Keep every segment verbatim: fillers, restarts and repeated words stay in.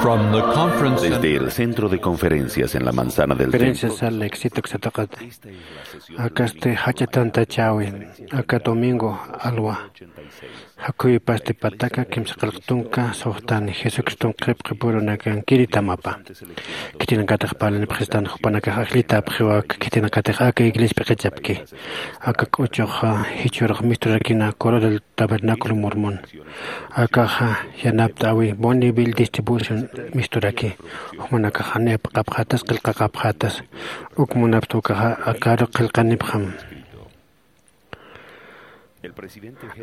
From the conference Desde el centro de conferencias en la manzana del templo, Experiencias al éxito que se toca. Acá este hacha tanta chawi, acá domingo alwa. Jacuy pasti pataka kimsa qillq tunka suxtani Jesucriston qhipqipurunakankiri tamapa. Khitinakatix parlanipxistan jupanakax ajllitapxiwak khitinakatix aka iglesia p'iqichapki. Aka k'uchuxa jichhurux misturakina Coro del Tabernáculo Mormón. Akaxa yanapt'awi Bonneville Distribution misturaki. Jumanakaxa niyapaqapxatas qillqaqapxatas. Uk munapxta ukaxa akaru qillqanipxam.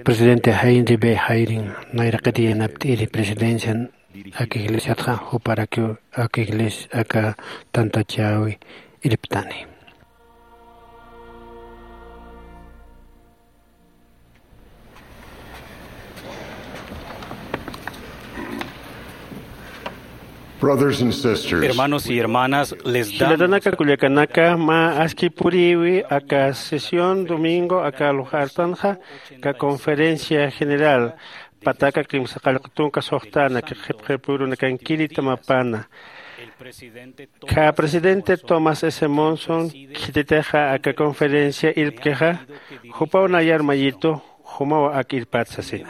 Presidente Heinrich B. Eyring nayraqit yanapt'iri presidencian aka iglesiatxa juparakiw aka iglesia aka tantachäwi irptani. Brothers and sisters, hermanos y hermanas, les damos. Jilatanaka kullakanaka, mä aski puriwi aka sesión domingo aka lugartanxa, aka conferencia general, pataka kimsa qallq tunka suxtana, qhipqipurunakankiri tamapana. Aka presidente Thomas S. Monson khititixa aka conferencia irpkixa, jupaw nayar mayitu, jumaw ak irpat sasina.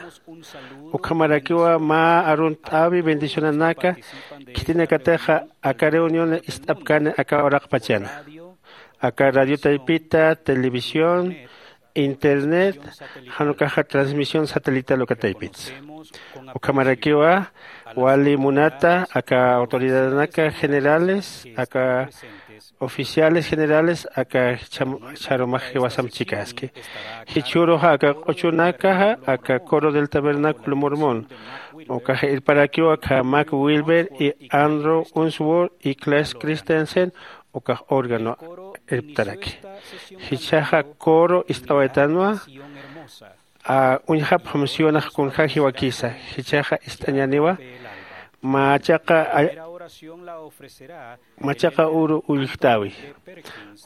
Ukhamarakiwa mä arunt'äwi bendicionanaka, khitinakatixa aka reunión ist'apkani aka uraqpachana. Aka radio taypita, televisión, internet, jan ukaxa transmisión satelital uka taypitsa. Ukhamarakiwa wali munata aka autoridadanaka generales, aka oficiales generales, aka cham-, charumax jiwasamp chikaski. Jichhüruxa aka q'uchunakaxa, aka Coro del Tabernáculo Mormón. Ukaxa irparakiwa aka Mac Wilber y Andrew Unsworth y Claes Christensen, ukax órgano irptaraki. Jichhaxa coro ist'awaytanwa, a, uñjapxam Sionax kunja jiwakisa, jichhaxa ist'añaniwa, machaqa, a, machaqa uru ullktawi.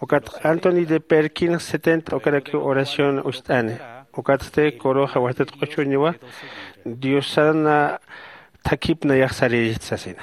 Ukat Anthony de Perkins setenta ukarakiw oración ucht'ani. Ukatsti coroxa watat q'uchuniwa, Diosana thakip nayax sarïrist sasina.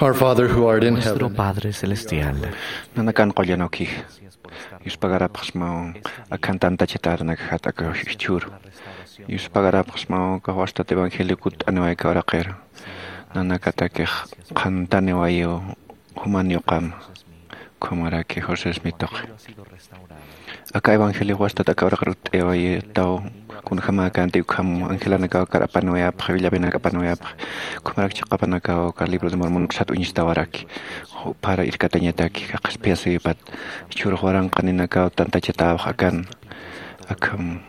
Our Father who art in Nuestro heaven. Padre Celestial. Nanakan qullan ukix. Yuspagarapxsmaw akhan tantachatärinakxat aka jichhüru. Yuspagarapxsmaw aka wastat evangelio kutt'aniway aka uraqiru. Nanakatakix qhantaniwayiw juman yuqam. Ukhamaraki José Smith tuqi. Aka evangelio wastat aka uraqir utt'ayawayi taw kunjämäkänti ukham angelanakaw akar apaniwayapxi, willapinak apaniwayapxi. Ukhamarak chiqapanakaw aka libro de Mormon uksat uñstawaraki. Juphar irkatañataki, qhispiyasïwipat. Jichhürux waranqaninakaw tantachatäpxi akan. Akham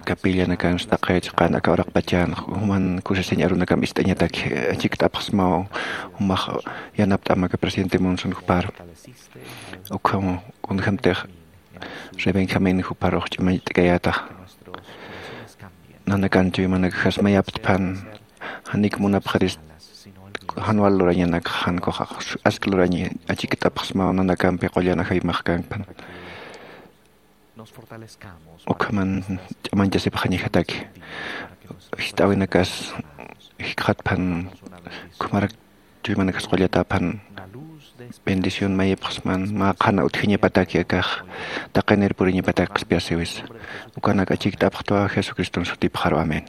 capillanakan taqi chiqan aka uraqpachan, juman kusisiñ arunakam ist'añataki, achikt'apxsmaw, jumax yanapt'am aka presidente Monson jupar. Ukham kunjämtix rey Benjamín juparux ch'amañt'kayätax. Nanakan chuymanakaxas mayaptpan, janik munapxirist jan wal lurañanak, jan kuxa ask luraña, achikt'apxsmaw nanakampi qullan ajaymax kankpan. Ukhaman ch'amañchasipxañajataki. Jist'äwinakas jikxatpan, ukhamarak chuymanakax qullatäpan bendición mayipxsman, mä qhana utjiñapataki akax, taqinir puriñapataki qhispiyasïwisa. Ukanak achikt'apxtwa Jesucriston sutipxaru. Amén.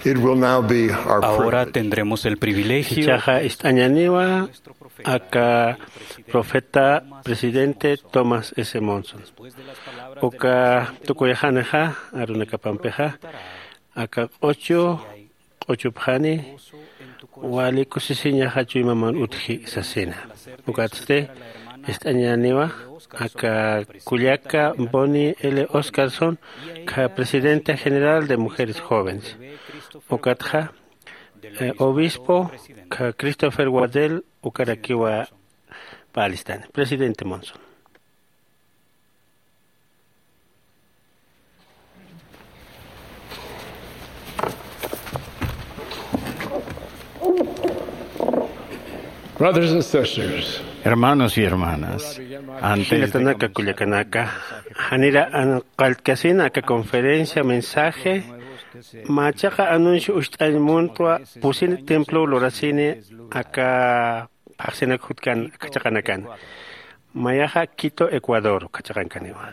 It will now be our Ahora privilege. Tendremos el privilegio. Ichaxa ist'añaniwa aka profeta presidente Thomas S. Monson. Uka tukuyxanixa arunakapampixa, aka q'uchu q'uchupxani wali kusisiñaxa chuymaman utji sasina. Ukatsti Ist'añäniwa aka kullaka Bonnie L. Oscarson, kha presidenta general de Mujeres Jóvenes. Ukatxa, eh, obispo kha Christopher Waddell, ukarakiwa pä alistan. Presidente Monson. Brothers and sisters, hermanos y hermanas, antes de jilatanaka, kullakanaka, janira an qalltkasina aka conferencia, mensaje, mä chiqa anuncio ucht'añ muntwa pusini templo lurasini aka phaxsinak jutkan aka chiqanakan. Mayaxa Quito, Ecuador, aka chiqankaniwa.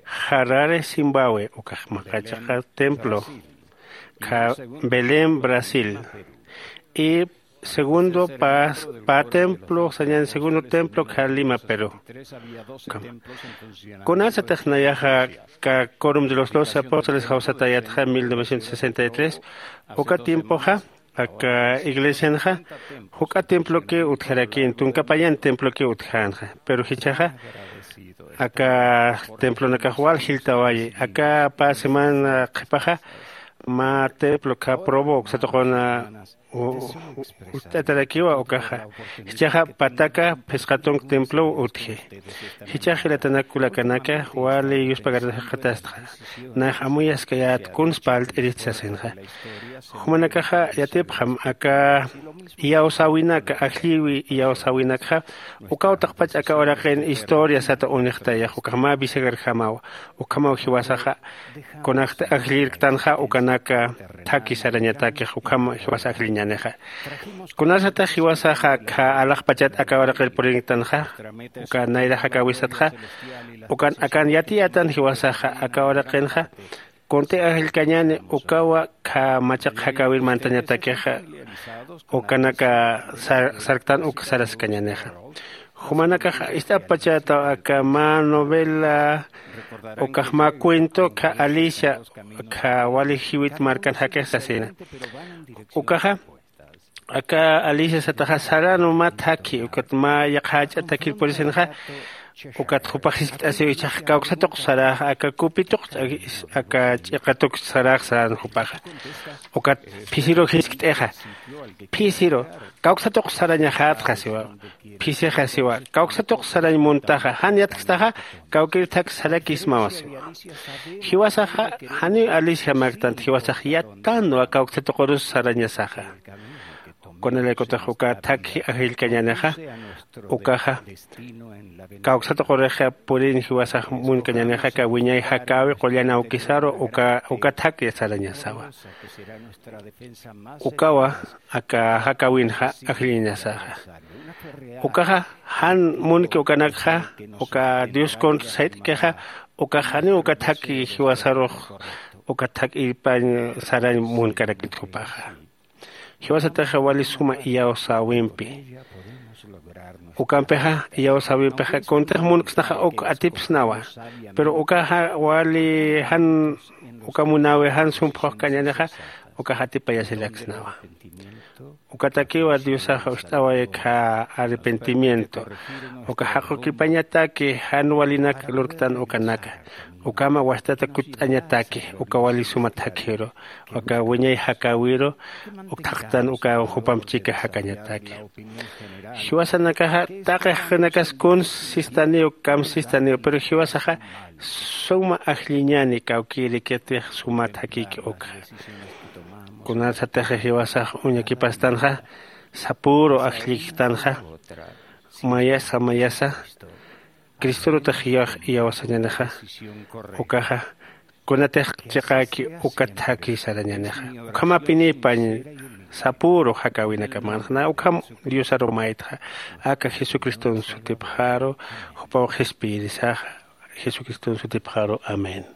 Harare, Zimbabue, ukax mä chiqa templo, kha Belén, Brasil. Y segundo pä, pä templo, sañan segundo templo, kha Lima, Perú. Kunasatix nayaxa aka Quórum de los Doce Apóstoles jawsatayatxa mil novecientos sesenta y tres, uka tiempoxa, aka iglesianxa, juk'a temploki utjaraki, tunka payan temploki utjänxa. Pero jichhaxa, aka templonakax wal jiltawayi. Aka pä semana qhipaxa, mä templo kha Provo uksa tuquna u-, u-, utt'atarakiwa ukaxa. Jichhaxa pataka phisqa tunk templow utji. Jichhax jilatanak kullakanaka, wali yuspagart'axatastxa. Nax amuyaskayät kuns parlt'irist sasinxa. Jumanakaxa yatipxam aka iyawsäwinaka, ajllïwi iyawsäwinakxa, ukaw taqpach aka uraqin historia sata unixtayax, ukax mä bisagarjamaw, ukhamaw jiwasaxa, kunakta ajllirktanxa, ukanaka thaki sarañatakix, ukham jiwasa ajlliñänixa. Kunasatix jiwasaxa kha alaxpachat aka uraqir purinktanxa, uka nayra jakäwisatxa, ukan akan yatiyätan jiwasaxa aka uraqinxa, kunti ajllkañäni ukawa kha machaq jakäwir mantañatakixa, ukanaka sar-, sarktan uk saraskañänixa. Jumanakax ist'apachätaw aka mä novela, ukax mä cuento kha Alicia, kha wali jiwit markan jakix sasina. Ukaxa, aka Alicia sataxa saran mä thakhi, ukat mä yaqhach'a thakir purisinxa, ukat jupax jiskt'asiw jichhax kawksatuq sarax, aka kupituq, aka ch'iqatuq sarax saran jupaxa. Ukat phisiru jiskt'ixa. Phisiru, kawksatuq sarañaxätxa siwa. Phisixasiwa, kawksatuq sarañ muntaxa, jan yatkstaxa, kawkir thak sarakismawa siwa. Jiwasaxa, janiw Alicia marktant, jiwasax yattanwa kawksatuqurus sarañasaxa. Kunalaykutix uka thakhi ajllkañänixa, ukaxa, kawksatuqurixa purin jiwasax munkañänixa, aka wiñay jakäwi qullan awkisaru, uka, uka thak sarañasawa. Ukawa, aka jakäwinxa ajlliñasaxa. Ukaxa, jan munki ukanakxa, uka Dios contra sayt'kixa, ukax janiw uka thaki jiwasarux, uka thak irpañ sarañ munkarakit jupaxa. Jiwasataxa wali suma iyawsäwimpi. Ukampixa, iyawsäwimpixa, kuntix munksnaxa uk atipsnawa. Pero ukaxa wali jan, uka munäwi jan sumphuxkañänixa, ukax atipayasiraksnawa. Ukatakiwa Diosax ucht'away kha arrepentimiento. Uka jaqukipañataki jan walinak lurktan ukanaka. Ukhama wastata kutt'añataki, uka wali suma thakhiru, uka wiñay jakäwiru, uk thaqtan uka jupamp chika jakañataki. Jiwasanakaxa taqi jaqinakas kuns sistaniw, kam sistaniw, pero jiwasaxa suma ajlliñäni kawkïrikitix suma thakïki ukxa. Kunasatix jiwasax uñakipastanxa, sapüru ajlliktanxa, mayasa, mayasa, Cristorutix iyax iyawsañänixa, ukaxa, kunatix chiqäki uka thaki sarañänixa. Ukhamapinipañ sapüru jakäwinakamanxa, na ukham Diosaru maytxa, aka Jesucriston sutipxaru, jupaw qhispiyirisaxa, Jesucriston sutipxaru. Amén.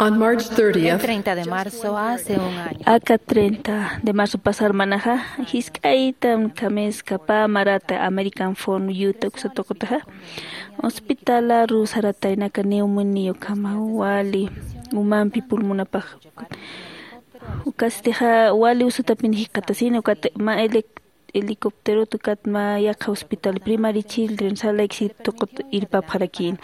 On March thirtieth, el treinta de marzo, hace un año. Aka treinta de marzo pasar manaxa, jisk'aytam kamiskapa marata American Forum Utah uksa tuqutaxa, hospitalaru sarataynaka neumonía ukhama wali umampi pulmonapax. Ukastixa wali usutapin jikxatasin, ukat mä ele helicópterot ukat mä yaqha hospital Primary Children Salt Lake City tuqut irpapxarakïn.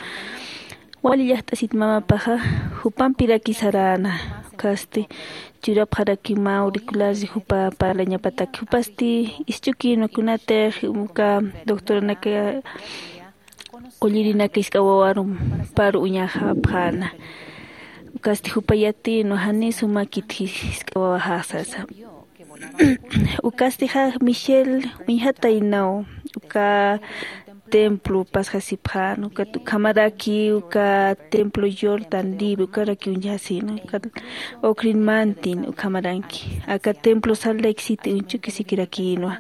Wali llaqt'asit mamapaxa jupampiraki saräna, ukasti churapxaraki mä auriculares jupa parlañapatak, jupasti isch'ukïnwa kunatix uka doctoranaka qullirinaka jisk'a wawarum paru uñaxapxäna. Ukasti jupa yatïnwa jani sumakit jisk'a wawaxax sasa. Ukastixa Michelle uñjataynaw uka templo pasxasipxän, ukat ukhamaraki uka templo Jordan River ukaraki uñjasïna, ukat Oak Ridge Mountain ukhamaranki, aka templo Salt Lake City uñch'ukisikirakïnwa.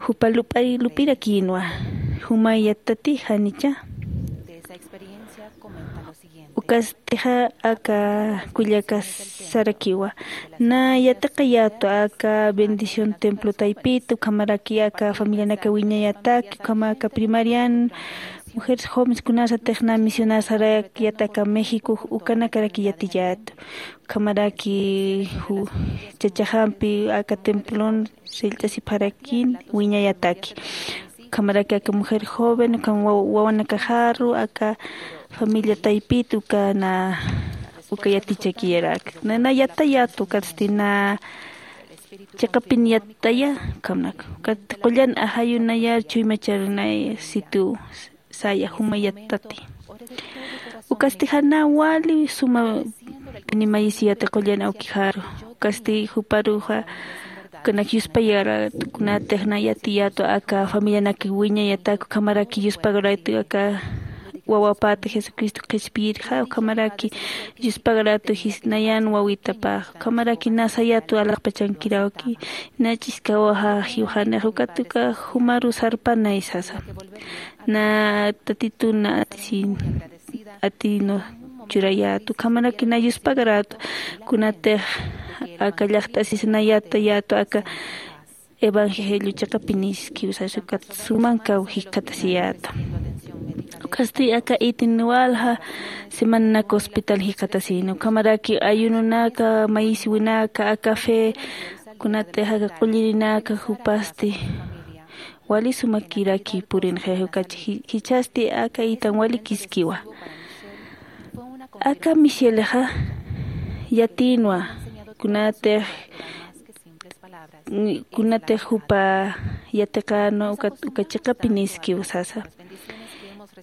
Jupa lup'ay lupirakïnwa. Jumay yattati janicha. Ukastixa aka kullaka sarakiwa, na yatiqayätwa aka bendición templo taypita, ukhamaraki aka familianaka wiñayataki, ukhama aka primarian, mujeres jóvenes kunasatix na misionar sarakyata aka México, ukanakaraki yatiyätwa. Ukhamaraki ju-, chachaxampi aka templon sillt'asipxarakïn wiñayataki. Ukhamaraki aka mujer joven, ukham wa-, wawanakaxaru, aka familia taypit, uka na, uka yatichakiyarak. Na, na yatayät, ukatsti na chiqapin yataya, ukhamnak. Ukat qullan ajayunaya, chuymacharunaya, situ saya juma yattati. Ukasti jana wali suma pinimayisiyati qullan awkixaru. Ukasti juparuxa, ukanak yuspayarät, kunatix na yatiyätwa aka familianak wiñayatak, ukhamaraki yuspagarät aka wawapata Jesucristo qhispiyirxa, ukhamaraki yuspagarät jis nayan wawitapax, ukhamaraki na sayätwa alaxpachankirawki, na ch'iskawaxa jiwxanix, ukat uka jumaru sarpanay sasa. Na Tatitun na atisin, atinu churayät, ukhamaraki na yuspagarät, kunatix aka llaqt'asis na yatayät aka evangelio chiqapiniskiw sasa, ukat sumankaw jikxatasiyät. Ukasti aka itin walja semananak hospital jikxatasina, ukhamaraki ayununaka, mayisiwinaka, aka fe, kunatix aka qullirinaka jupasti wali sumakiraki purinxi, ukachi ji-, jichhasti aka itan walikiskiwa. Aka Michelexa yatïnwa, kunatix, kunatix jupa yatiqänwa uka, uka chiqapiniskiw sasa.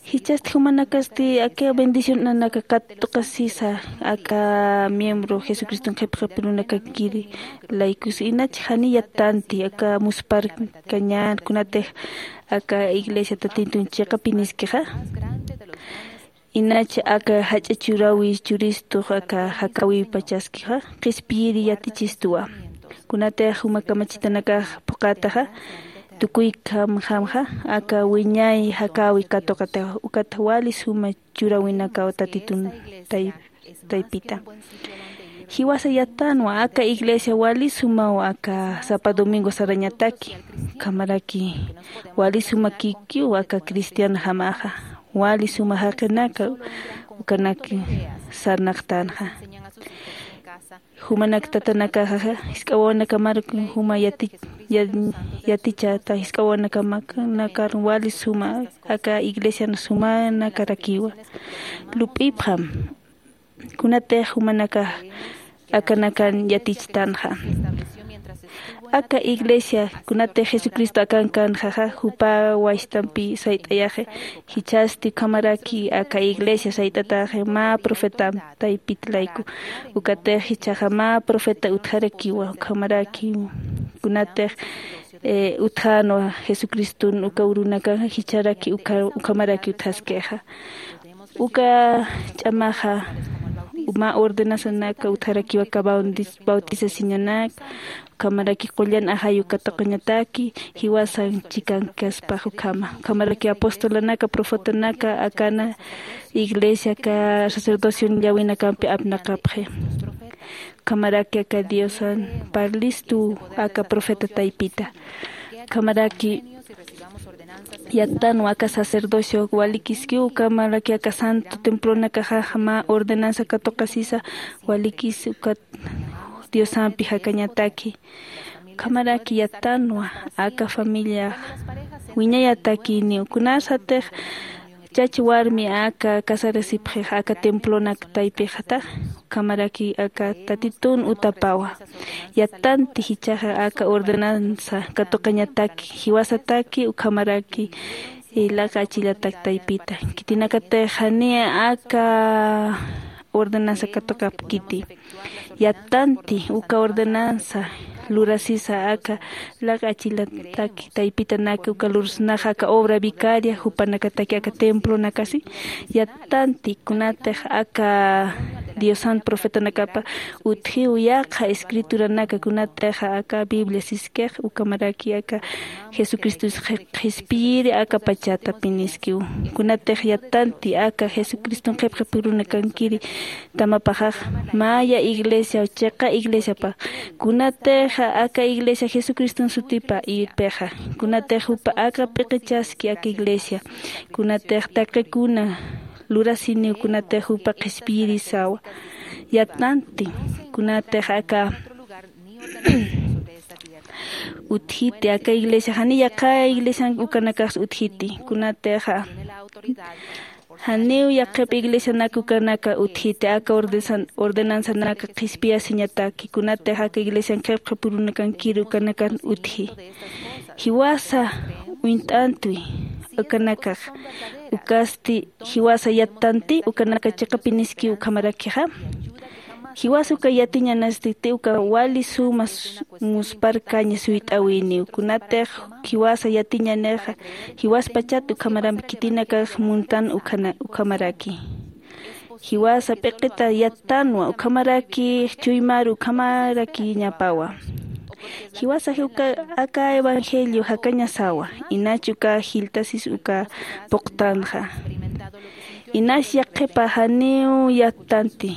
Jichhasti jumanakasti aka bendición nanaka katuqasisa, aka miembro Jesucriston qhipqapirunakankiri laykus, inach jani yattanti, aka muspharkañän, kunatix aka iglesia Tatitun chiqapiniskixa. Inach aka jach'a churawi churistux aka jakäwipachaskixa, qhispiyiri yatichistuwa. Kunatix juma kamachitanakax phuqhataxa, tukuy kamjamxa, aka wiñay jakäwi katuqataxa, ukat wali suma churäwinakaw Tatitun tay-, taypita. Jiwasa yattanwa, aka iglesia wali sumaw aka sapa domingo sarañataki, ukhamaraki wali sumakikiw aka cristianjamaxa, wali suma jaqinaka ukanak sarnaqtänxa. Jumanak tatanakaxa, jisk'a wawanakamarak juma yati-, ya-, yatichata, jisk'a wawanakamak, nakar wali suma aka iglesian sumanakarakiwa. Lup'ipxam, kunatix jumanakax akanakan yatichtänxa. Aka iglesia, kunatix Jesucristo akankanxaxa, jupa waystampi sayt'ayaxi, jichhasti ukhamaraki aka iglesia sayt'ataxi, mä profeta taypit layku. Ukatix jichhaxa mä profeta utjarakiwa, ukhamaraki kunatix, eh, utjänwa Jesucriston uka urunakaxa, jichharaki uka, ukhamaraki utjaskixa. Uka ch'amaxa mä ordenanzanaka utjarakiwa aka bauntis-, bautisasiñanak, Ukhamaraki qullan ajayu katuqañataki jiwasan chikankaspax ukhama. Ukhamaraki apostolanaka, profetanaka akana iglesia aka sacerdocion llawinakampi apnaqapxi. Ukhamaraki aka Diosan parlistu aka profeta taypita. Ukhamaraki yattanwa aka sacerdocio walikiskiw, ukhamaraki aka santo templonakaxa mä ordenanza katuqasisa walikis ukat Diosampi jakañataki. Ukhamaraki yattanwa aka familia wiñayatakiniw. Kunasatix chach warmi aka casarasipxix aka templonak taypixatax, ukhamaraki aka Tatitun utapawa. Yattanti jichhaxa aka ordenanza katuqañataki, jiwasataki, ukhamaraki, eh, laq'a achillatak taypita. Khitinakatix janiy aka ordenanza katuqapkiti. Yattanti uka ordenanza lurasisa aka laq'a achillatak taypitanaka uka lurasnaxa aka obra vicaria jupanakataki aka templonakasi. Yattanti kunatix aka Diosan profetanakapa utjiw yaqha escrituranaka, kunatix aka Biblia siskix, ukhamaraki aka Jesucristos qhi-, qhispiyiri aka pachata piniskiw. Kunatix yattanti aka Jesucriston qhipqipurunakankiri tamapaxax, maya iglesia, chiqa iglesiapa. Kunatix aka iglesia Jesucriston sutipa irpixa. Kunatix jupa aka p'iqichaski aka iglesia. Kunatix taqikuna lurasiniw, kunatix jupa qhispiyirisawa. Yattanti kunatix aka utjiti aka iglesia, jani yaqha iglesian ukanakax utjiti, kunatixa janiw yaqhip iglesianak ukanaka utjiti, aka ordesan-, ordenanzanaka qhispiyasiñataki, kunatix aka iglesian qhipqipurunakankiri ukanakan utji. Jiwasa uñt'antwi ukanakax, ukasti jiwasa yattanti ukanaka chiqapiniskiw ukhamarakixa. Jiwasa uka yatiñanasti uka wali suma s-, muspharkaña suyt'awiniw. Kunatix jiwasa yatiñanixa, jiwaspachat ukhamarampi khitinakax muntan ukhana-, ukhamaraki. Jiwasa p'iqita yattanwa, ukhamaraki chuymaru, ukhamarakiñapawa. Jiwasa uka aka evangelio jakañasawa, inach uka jiltasis uka puqtanxa. Inas yaqhipa janiw yattanti,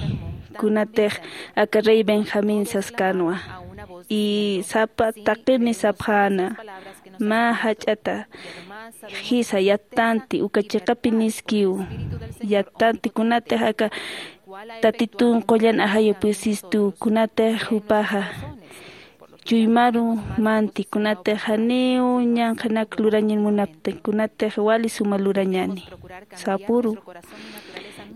kunatix aka rey Benjamín saskanwa. Y sapa taqini sapxäna, mä jach'ata jisa yattanti, uka chiqapiniskiw yattanti, kunatix aka Tatitun qullan ajayu pusistu, kunatix jupaxa chuymaru manti, kunatix janiw ñanqhanak lurañan munapti, kunatix wali suma lurañani. Sapuru.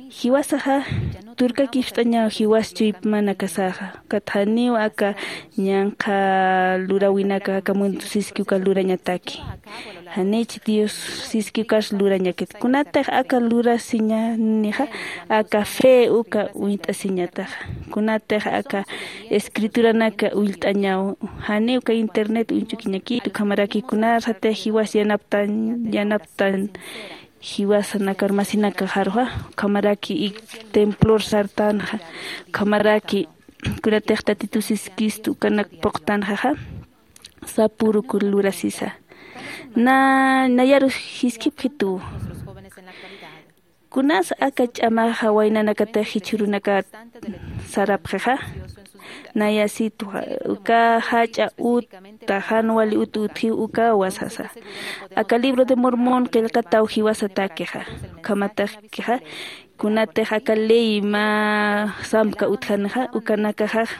Jiwasaxa turkakipst'añaw jiwas chuymanakasaxa, ukat janiw aka ñanqha luräwinaka aka mundo siski uka lurañataki. Janich Dios siski ukax lurañakit. Kunatix aka lurasiñanixa, aka fe uka uñt'asiñataxa. Kunatix aka escrituranaka ullt'añaw, jani uka internet uñch'ukiñakit, ukhamaraki kunasatix jiwas yanaptan, yanaptan jiwasanakar masinakaxaruxa, ukhamaraki ik templor sartanxa, ukhamaraki kunatix Tatitu siskistu ukanak puqtanxaxa, sapüruk lurasisa. Na, nayaru jiskipxitu. Kunas aka ch'amaxa waynanakatix jichhürunakat sarapxixa. Naya situ, uka jach'a uta, jan wali ut utjiw ukawa sasa. Aka libro de Mormon qillqataw jiwasatakixa. Ukhamatakixa, kunatix aka ley mä samka utjanixa, ukanakaxax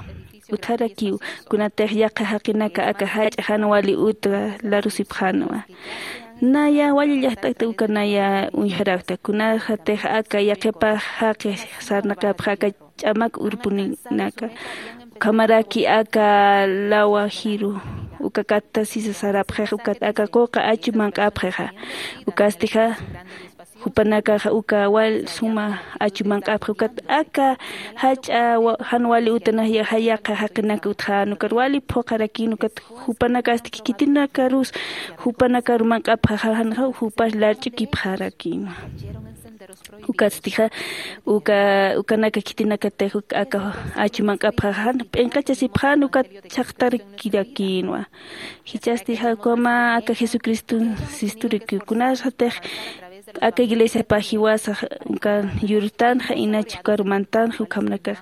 utjarakiw, kunatix yaqha jaqinaka aka jach'a jan wali uta larusipxänwa. Naya wali llajt'akta uka naya uñjarakta, kunasatix aka yaqhipax jaqi sarnaqapxa aka ch'amak urpunaka, ukhamaraki aka lawa jiru, uka katta sisa sarapxix, ukat aka quqa achu manq'apxixa, ukastixa jupanakaxa uka wal suma achu manq'apxi, ukat aka jach'a wa-, jan wali utanax ya-, yaqha jaqinaka utjän, ukat wali phuqharakin, ukat jupanakasti khitinakarus jupanakaru manq'apxaxa, janxa jupax larch'ukipxarakinwa. Ukatstixa uka ukanaka khitinakatix aka achu manq'apxaxa jan p'inqachasipxän ukat chhaqtarakirakinwa. Jichhastixa ukama aka jesucriston sisturaki kunasatix aka iglesiapa jiwasax uka yurtanxa inach ukaru mantanxa ukhamnakax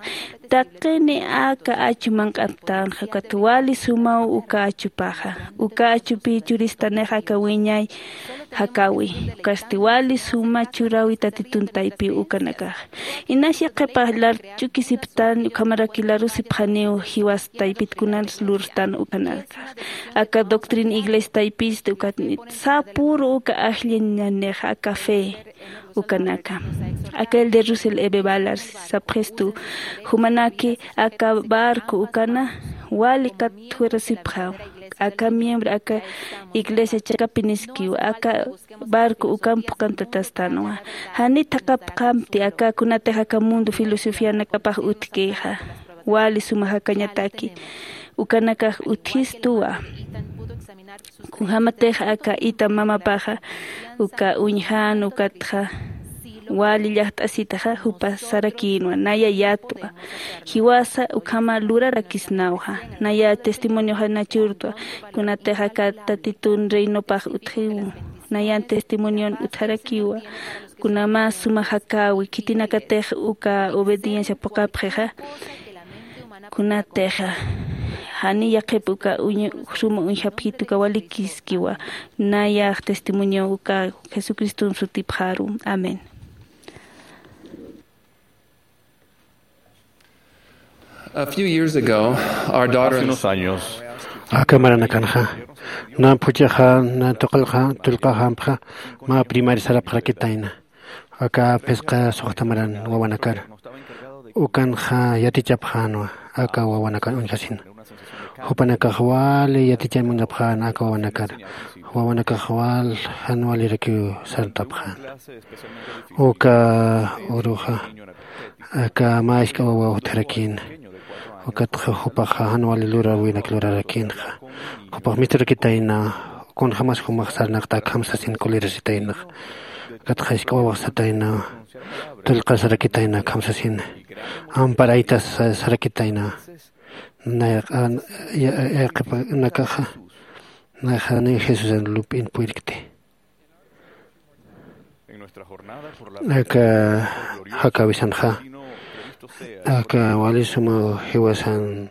taqini aka achu manq'aptänxa ukat wali sumaw uka achupaxa. Uka achupi churistanixa aka wiñay jakäwi ukasti wali suma churäwi tatitun taypiw ukanakax. Inas yaqhipax lar ch'ukisiptan ukhamaraki larusipxaniw jiwas taypit kunas lurtan ukanakax. Aka doctrina iglesia taypista ukatnit sapüru uka ajlliñanixa aka fe ukanaka. Aka el de russell eve balar sapxistu jumanaki aka barco ukana wali katjurasipxaw. Aka miembro aka iglesia chakapiniskiw aka barco ukan phuqantatastanwa. Janit jaqapxamti aka kunatix aka mundo filosofianakapax utjkixa wali suma jakañataki ukanakax utjistuwa. Kunjämatix aka ita mamapaxa uka uñjan ukatxa wali llajt'asitaxa jupa sarakïnwa naya yatwa jiwasa ukhama lurarakisnawxa. Naya testimonioxa nachurtwa kunatix aka tatitun reinopax utjiw nayan testimonion utjarakiwa. Kuna mä suma jakäwi khitinakatix uka obediencia phuqhapxixa kunatix jani yaqhip uka suma uñjapjit uka walikiskiwa. Nayax testimonio uka jesucriston sutipxaru. Amén. A few years ago, our daughter Hace unos años, aka maranakanxa na phuchhaxa na tuqallxa tullqaxampxa mä primaria sarapxarakitayna. Aka phisqa suxta maran wawanakar ukanxa yatichapxänwa aka wawanakan uñjasina. Jupanakax wali yatichañ munapxän aka wawanakar. Wawanakax wal jan walirakiw sartapxän. Uka uruxa aka mä isk'a wawa utjarakïna. Ukatxa jupaxa jan wali luräwinak lurarakïnxa. Jupax misturakitayna kunjämas jumax sarnaqt'äkham sasin kulirasitaynax. Ukatxa isk'a wawax satayna tullqasarakitayna akham sasina. Amparaytas sarakitayna. Nay yaqhipanakaxa nayxaniw jesusan lup'in purirkti. Aka jakäwisanxa aka wali sumaw jiwasan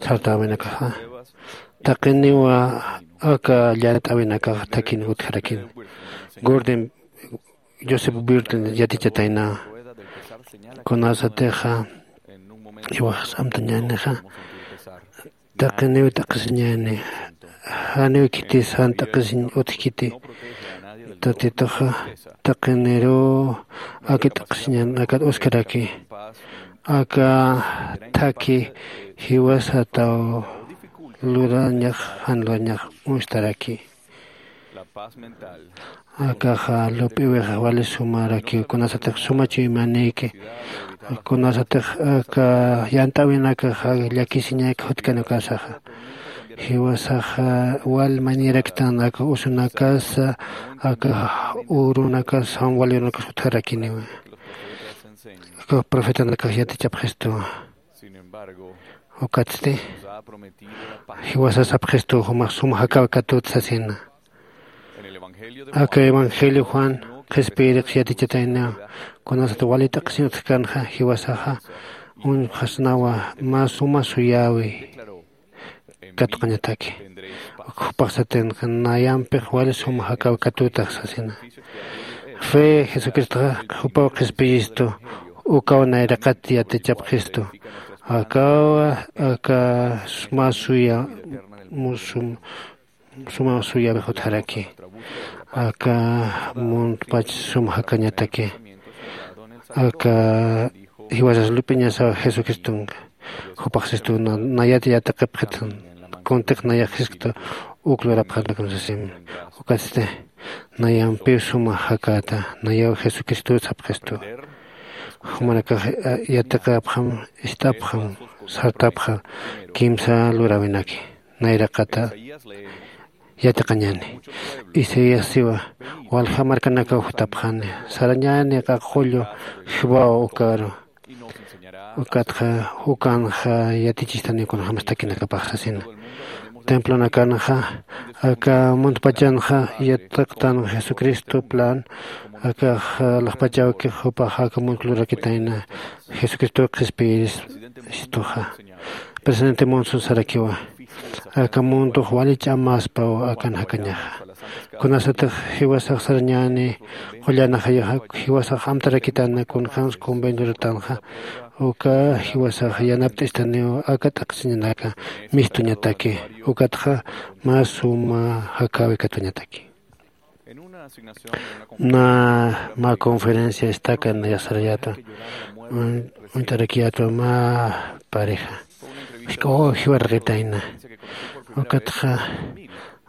sartäwinakaxa taqiniwa aka llant'äwinakax thakin utjarakin. Gorden josep birten yatichatayna kunasatixa iwaxas amtañänixa taqiniw t'aqhisiñäni. Janiw khitis jan t'aqhisiñ utjkiti. Tatituxa taqiniruw aka t'aqhisiñän akat uskaraki aka thakhi jiwasataw lurañax jan lurañax uñstaraki. Akaxa lup'iwixa wali sumarakiw kunasatix suma chuymanïki kunasatix aka yant'äwinakaxa llakisiñäki jutkan ukasaxa. Jiwasaxa wal mañaraktan aka usunakasa aka urunakas jan wali urunakas utjarakiniwa. Aka profetanakax yatichapxistuwa. Ukatsti jiwasas sapxistu jumax sum jakäwi katut sasina. Aka evangelio juan qhispiyirix yatichatayniw kunasat wali t'aqhisiñ utjkänxa jiwasaxa uñjasnawa mä suma suyäwi katuqañataki. Jupax satinxa nayampix wali suma jakäwi katutax sasina. Fe jesucristoxa jupaw qhispiyistu ukaw nayraqat yatichapxistu. Akawa aka mä suya suma suyawix utjaraki. Aka muntpach sum jakañataki aka jiwasas lup'iñasaw jesucristonka. Jupax sistu nayat yatiqipxit kuntix nayax jiskta uk lurapxarnakan sasim. Ukatsti nayampiw suma jakäta nayaw jesucristot sapxistu. Jumanakax yatiqäpxam ist'apxam sartapxa kimsa luräwinaki nayraqata yatiqañäni. Isaías siwa walja markanakaw jutapxani. Sarañäni q'aq'ullu jiwaw ukaru. Ukatxa ukanxa yatichistaniw kunjämas takinakapax sasina. Templonakanxa aka muntpachanxa yatiqtan Jesucristo plan. Akax laqpachawkix jupax aka muntku lurakitayna Jesucristo qhispiyiristuxa. Presidente Monson sarakiwa, aka muntux wali ch'amaspaw akan jakañaxa. Kunasatix jiwasax sarañäni qullanaxayaxa jiwasax amtarakitana kunjämsa convenio luratanxa. Uka jiwasax yanapt'istaniw aka t'aqsiñanaka mistuñataki. Ukatxa mä suma jakäwi katuñataki. Na mä conferencia estaca nayasarayäta uñt'arakiyätwa mä pareja. Jisk'awaw jiwaraqitayna. Ukatxa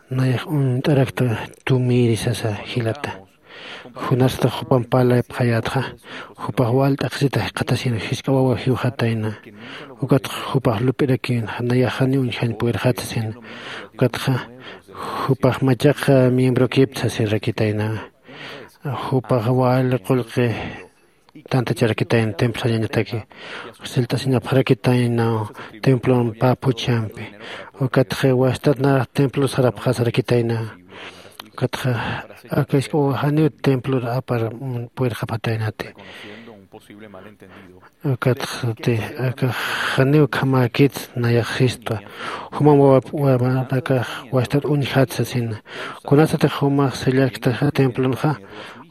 nayax uñt'arakta tumiri sasa jilata. Junasatix jupamp parlayapxayätxa jupax wal t'aqsita jikxatasina jisk'a wawa jiwxatayna. Ukatxa jupax lup'irakïna nayax janiw uñjañ puwirxatasina. Ukatxa jupax machaq miembrokipta sasirakitayna. Jupax wal qullqi tantacharakitayna templo sañañataki. Sillt'asiñapxarakitayna templon pä phuchhampi. Ukatxa wastat nax templo sarapxasarakitayna. Ukatxa aka jisk'awaw janiw templor apar puwirxapxataynati. Ukatxti aka janiw ukhamäkit nayax sistwa. Jumam wawanakax wastat uñjat sasina. Kunasatix jumax sellarktaxa templonxa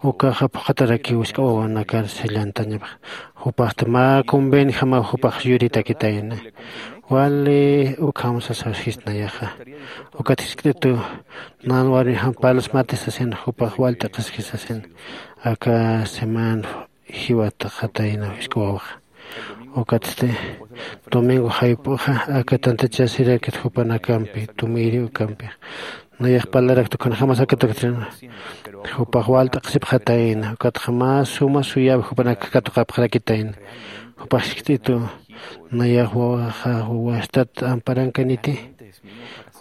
ukaxa phuqhatarakiw jisk'a wawanakar sellantañapxa. Jupaxti mä convenjamaw jupax yuritakitayna. Wali ukham sasasist nayaxa. Ukat jiskt'itu nan warmijam parlasmati sasina jupax wal t'aqhiski sasina. Aka semana jiwatxatayna jisk'a wawaxa. Ukatsti domingo jayp'uxa aka tantachasirakit jupanakampi tumiri ukampi. Nayax parlarakta kunjämas akataktin jupax wal t'aqhisipxatayna ukatxa mä suma suyäwi jupanakax katuqapxarakitayna. Jupax jiskt'itu nayax wawaxa wastat amparankaniti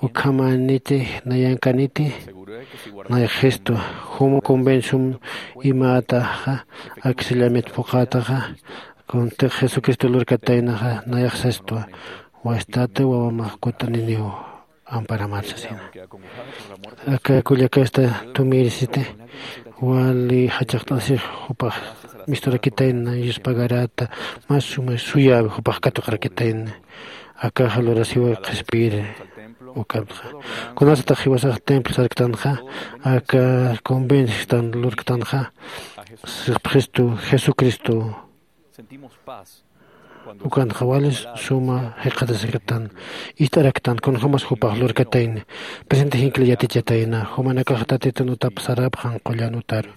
ukhamaniti nayankaniti. Nayax jistwa jum convención imätaxa aksillamit phuqhataxa kuntix jesucristo lurkataynaxa nayax sistwa. Wastat wawamax kut'aniniw amparamar sasina. Aka kullakasta tumirisiti wali jachaqt'asix jupax misturakitayna yuspagarata mas suma suyäwi jupax katuqarakitayna. Akaxa lurasiwa qhispiyiri ukamtxa. Kunasatix jiwasax templo sarktanxa aka convenjtan lurktanxa sipxistu jesucristo. Ukanxa wali suma jikxatasiktan ist'araktan kunjämas jupax lurkatayna. Presente jinkli yatichatayna jumanakax tatitun utap sarapxan qullan utaru.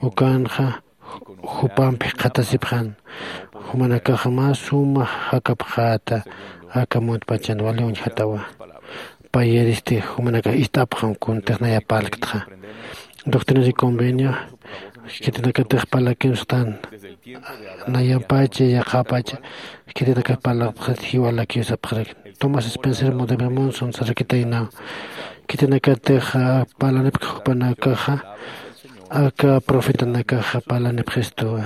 Ukanxa jupamp jikxatasipxan jumanakax mä suma jakapxäta. Aka muntpachan wali uñjatawa. Payiristi jumanakax ist'apxam kuntix naya parlktxa. Doctrinas y convenio khitinakatix parlakimstan nayampacha yaqhapacha khitinakax parlapxat jiwalakiw sapxarak. Tomás spencer modema monson sarakitaynaw khitinakatix parlanipk jupanakaxa aka profetanakaxa parlanipxistuwa.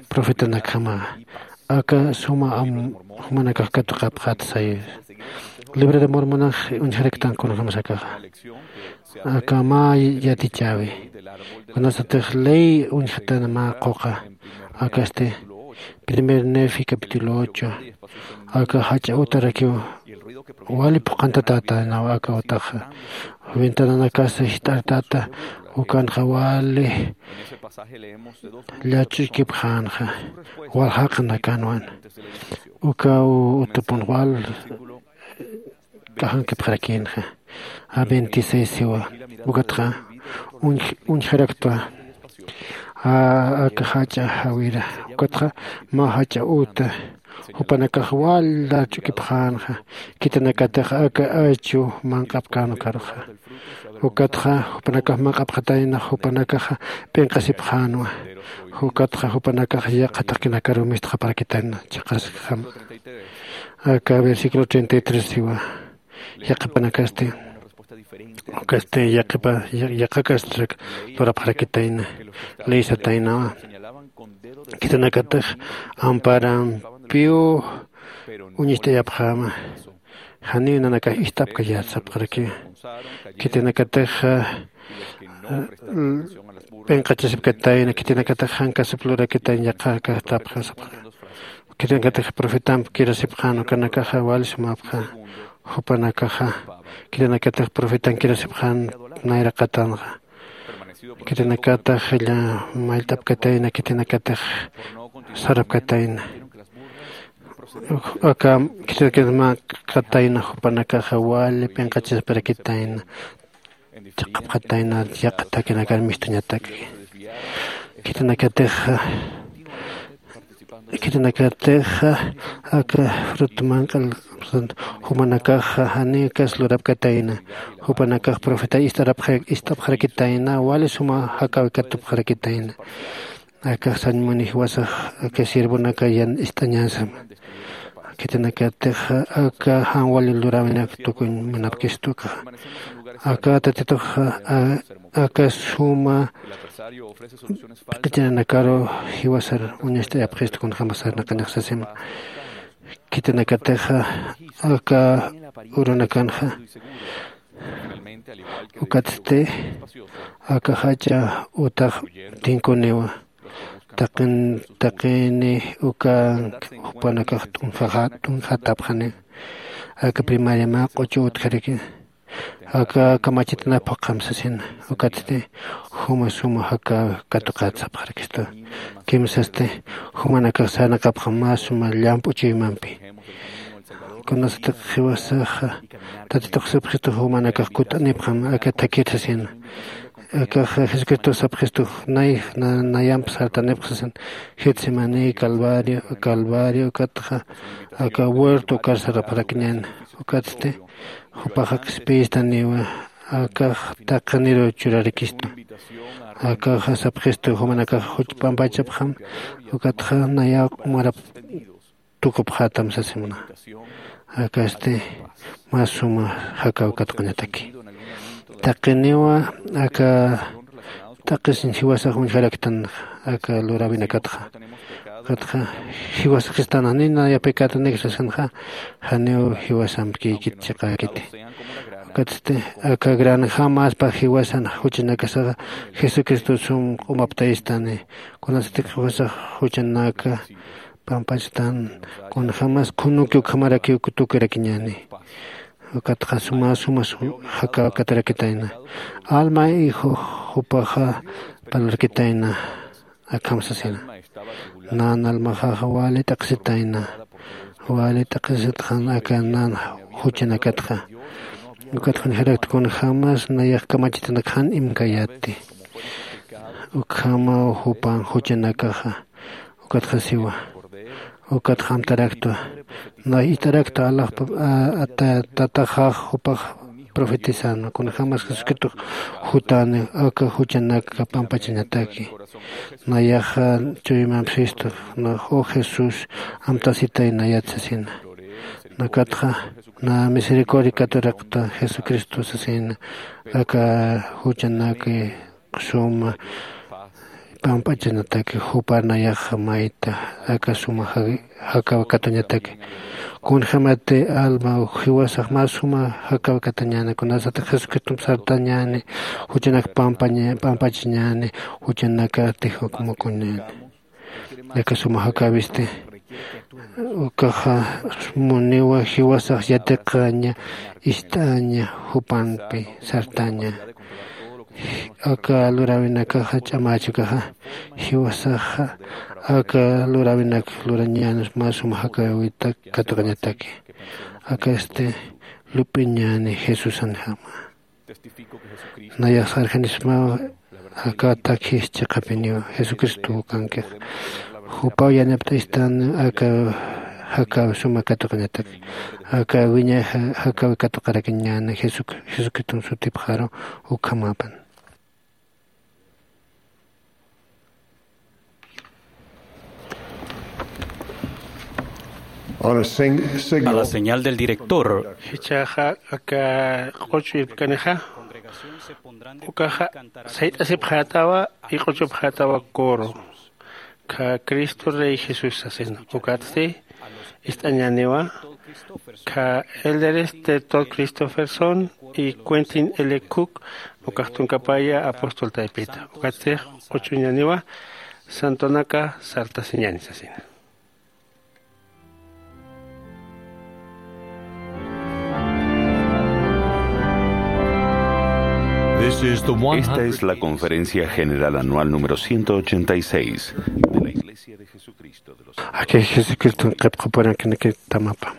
Profetanakjama aka suma am jumanakax katuqapxat sayi. Libro de mormonax uñjaraktan kunjämas akaxa aka mä yatichäwi. Kunasatix ley uñjatana mä quqa akasti primer nefi capítulo ocho aka jach'a utarakiw wali phuqhantatätanaw aka utaxa. Ventananakasa jist'artata ukanxa wali llach'ukipxänxa wal jaqinakanwan. Ukaw utupun wal k'ajankipxarakïnxa. A veintiséis siwa ukatxa uñjaraktwa aka jach'a jawira ukatxa mä jach'a uta jupanakax wal llach'ukipxänxa. Khitinakatix aka achu manq'apkän ukaruxa ukatxa jupanakax manq'apxatayna jupanakaxa p'inqasipxänwa. Ukatxa jupanakax yaqha taqinakaruw mistxaparakitayna chhaqaskjama. Aka versículo treinta y tres siwa yaqhipanakasti Ukasti yaqipa yaqakastrak lurapxarakitayna. Leysataynawa. Khitinakatix amparampiw uñist'ayapxäma. Janiw nanakax ist'apkayät sapxarakiwa. Khitinakatix p'inqachasipkatayna khitinakatix jankasip lurakitayna yaqakastapxa sapxara. Khitinakatix profetamp kirasipxän ukanakaxa wali sumapxa. Jupanakaxa khitinakatix profetan kirasipxän nayraqatanxa. Khitinakatix mayllt'apkatayna khitinakatix sarapkatayna. Aka khitinakatix mä qatayna jupanakaxa wali p'inqachaspirakitayna. Chiqapxatayna yaqha thakinakar mistuñataki. Khitinakatixa khitinakatixa aka fruta manq'al jumanakaxa janiw kas lurapkatayna. Jupanakax profeta ist'arapxarakitayna wali suma jakäwi katupxarakitayna. Akax sañ muni jiwasax aka siervonaka yan ist'añäsama. Khitinakatixa aka jan wali luräwinak tukuñ munapkistukaxa. Aka tatituxa aka suma p'iqichirinakaru jiwasar uñast'ayapxistu kunjämas sarnaqañax sasima. Khitinakatixa aka urunakanxa ukatsti aka jach'a utax tinkuniwa. Taqin taqini ukank jupanakax t'unjaxa t'unjatapxani. Aka primaria mä q'uchu utjariki aka kamachitanap phuqham sasina. Ukatsti juma suma jakäwi katuqät sapxarakistu. Kimsasti jumanakax sarnaqapxam mä suma llamp'u chuymampi. Kunasatix jiwasaxa tatitux sapxistu jumanakax kutt'anipxam aka thakhir sasina. Akaxa jesucristo sapxistu nay nayamp sartanipx sasin. Getsemaní calvario calvario ukatxa aka huerto ukar sarapxarakiñäni. Ukatsti jupaxa qhispiyistaniwa. Akax taqiniru churarikistu. Akaxa sapxistu jumanakax juch p'ampachapxam. Ukatxa nayaw q'umarap tukupxätam sasimna. Akasti mä suma jakäw katuqañataki. Taqiniwa aka t'aqhisiñ jiwasax uñjaraktan aka luräwinakatxa. Ukatxa jiwasxistan janiw nayapikätanix sasinxa janiw jiwasamp kiykit chiqäkiti. Ukatsti aka granjämaspa jiwasan juchanakasaxa jesucristo sum q'umaptayistani. Kunasatix jiwasax juchanaka pampachtan kunjämas khunuki ukhamarakiw tukirakiñäni. Ukatxa suma suma jakäw katurakitayna. Alma hijo jupaxa parlarakitayna. Akham sasina. Nan almaxaxa wali t'aqhisitayna. Wali t'aqhisitxan aka nan juchanakatxa. Ukatxa uñjarakta kunjämas nayax kamachitanak jan imkayäti. Ukhamaw jupan juchanakaxa. Ukatxa siwa. Ukatxa amtaraktwa. Nay ist'arakta alaxpa tataxax jupax profetizäna kunjämas jesucristox jutäni aka juchanaka pampachañataki. Nayaxa chuymampsistu nax o jesús amtasitay nayat sasina. Nakatxa na misericordia katurakta jesucristo sasina. Aka juchanaki suma pamp'achanataki jupa nayaxa mayta aka suma jakaw katuñataki. Kunjämati alma jiwasax mä suma jakaw katuñäni kunasatix jesucristomp sartañäni juchanak pampachañäni juchanakatix ukmukuñäni. Aka suma jakäwisti ukaxa muniwa jiwasax yatiqaña ist'aña jupampi sartaña. Aka luräwinakaxa ch'amächukaxa jiwasaxa aka luräwinak lurañäni mä suma jakäwita katuqañataki. Akasti lup'iñäni jesusanjama. Nayax sarjanismaw aka takhis chiqapiniw jesucristo kankix. Jupaw yanapt'aystan aka jakaw suma katuqañatak aka wiñay jakaw katuqarakiñäni jesucriston sutipxaru. Ukhamapan. On a sing-, signal. A la señal del director. Jichhaxa aka q'uch'u irpkanixa, ukaxa sayt'asipxätawa y q'uchupxätawa coro. Kha Cristo Rey Jesús sasina. Ukatsti ist'añäniwa kha elderes de Todd Christofferson y Quentin L. Cook, ukax tunkapaya apóstol taypita. Ukatsti q'uch'uñäniwa santonaka sartasiñäni sasina. This is the Esta es la one hundred conferencia general anual número ciento ochenta y seis de la Iglesia de Jesucristo de los Aki Jesucristo qhipqapurankanaki tamapa.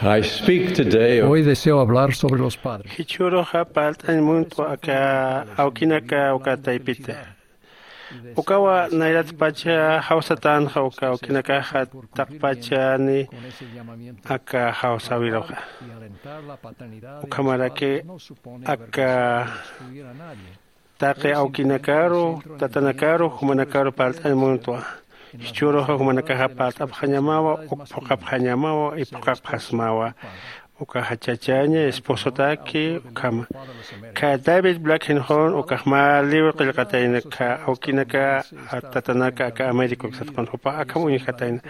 I speak today of Hoy deseo hablar sobre los padres. Jichhüruxa parlt'añ muntwa aka awkinaka uka taypita. Ukawa nayratpacha jawsatänxa uka awkinakaxa taqpachani aka jawsäwiruxa. Ukhamaraki aka taqi awkinakaru, tatanakaru, jumanakaru parlt'añ muntwa. Jichhüruxa jumanakaxa parlt'apxañamawa, uk phuqhapxañamawa, y phuqhapxasmawa. Ukaxa chachaña, esposotaki, ukhama. Kha David Black Henhon, ukax mä libro qillqatayna, kha awkinaka, tatanaka, aka América uksatqun jupa, akham uñjatayna.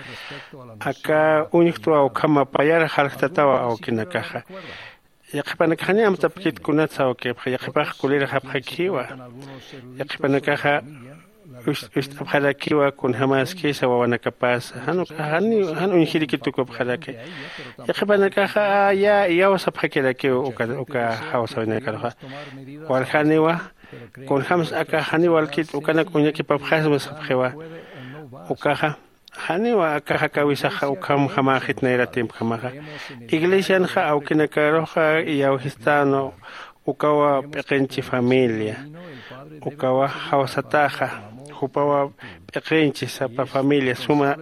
Aka uñjtwa ukhama payar jarjtatawa awkinakaxa. Yaqhipanakax jani amtapkit kunatsa awkipxa, yaqhipax kulirxapxakiwa. Yaqhipanakaxa ust-, ust'apxarakiwa kunjämaskisa wawanakapasa. Jan uka, jan, jan uñjiriki tukupxaraki. Yaqhipanakaxa ya, iyawsapxakirakiw uka, uka jawsäwinakaruxa. Waljaniwa, kunjämsa aka jani walkit ukanak uñakipapxasma sapxiwa. Ukaxa, Janiwa aka jakawisaxa ukham jamäxit nayra tiempjamaxa. Iglesianxa awkinakaruxa iyawjistänwa ukawa p'iqinchi familia, ukawa jawsataxa, jupawa p'iqinchi sapa familia suma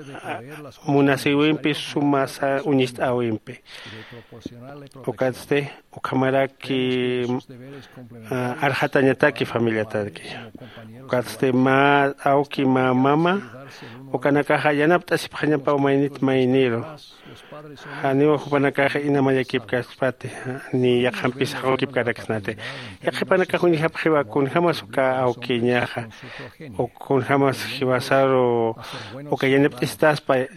munasïwimpi, suma uñist'äwimpi. Ukatsti ukhamaraki arxatañataki familiataki. Ukatsti mä awki mä mama ukanakaxa yanapt'asipxañapaw maynit mayniru. Janiwa jupanakaxa inamayakipkaspati ni yaqhampis jaqukipkaraksnati. Yaqhipanakax uñjapxiwa kunjämas uka awkiñaxa, kunjämas jiwasaru uka yanapt'istaspa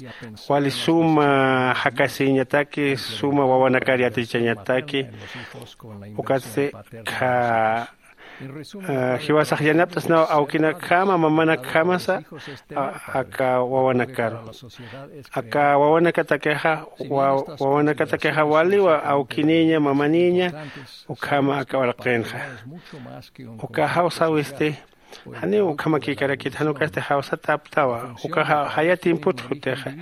wali suma jakasiñataki suma wawanakar yatichañataki. Ukatsti kha jiwasax yanapt'asnaw awkinakjama mamanakjamasa aka wawanakaru. Aka wawanakatakixa wawanakatakixa waliwa awkiniña mamaniña. Ukhama aka uraqinxa uka jawsäwisti. Janiw ukhamakïkarakit jan ukasti jawsataptawa ukaxa jaya tiempot jutixa.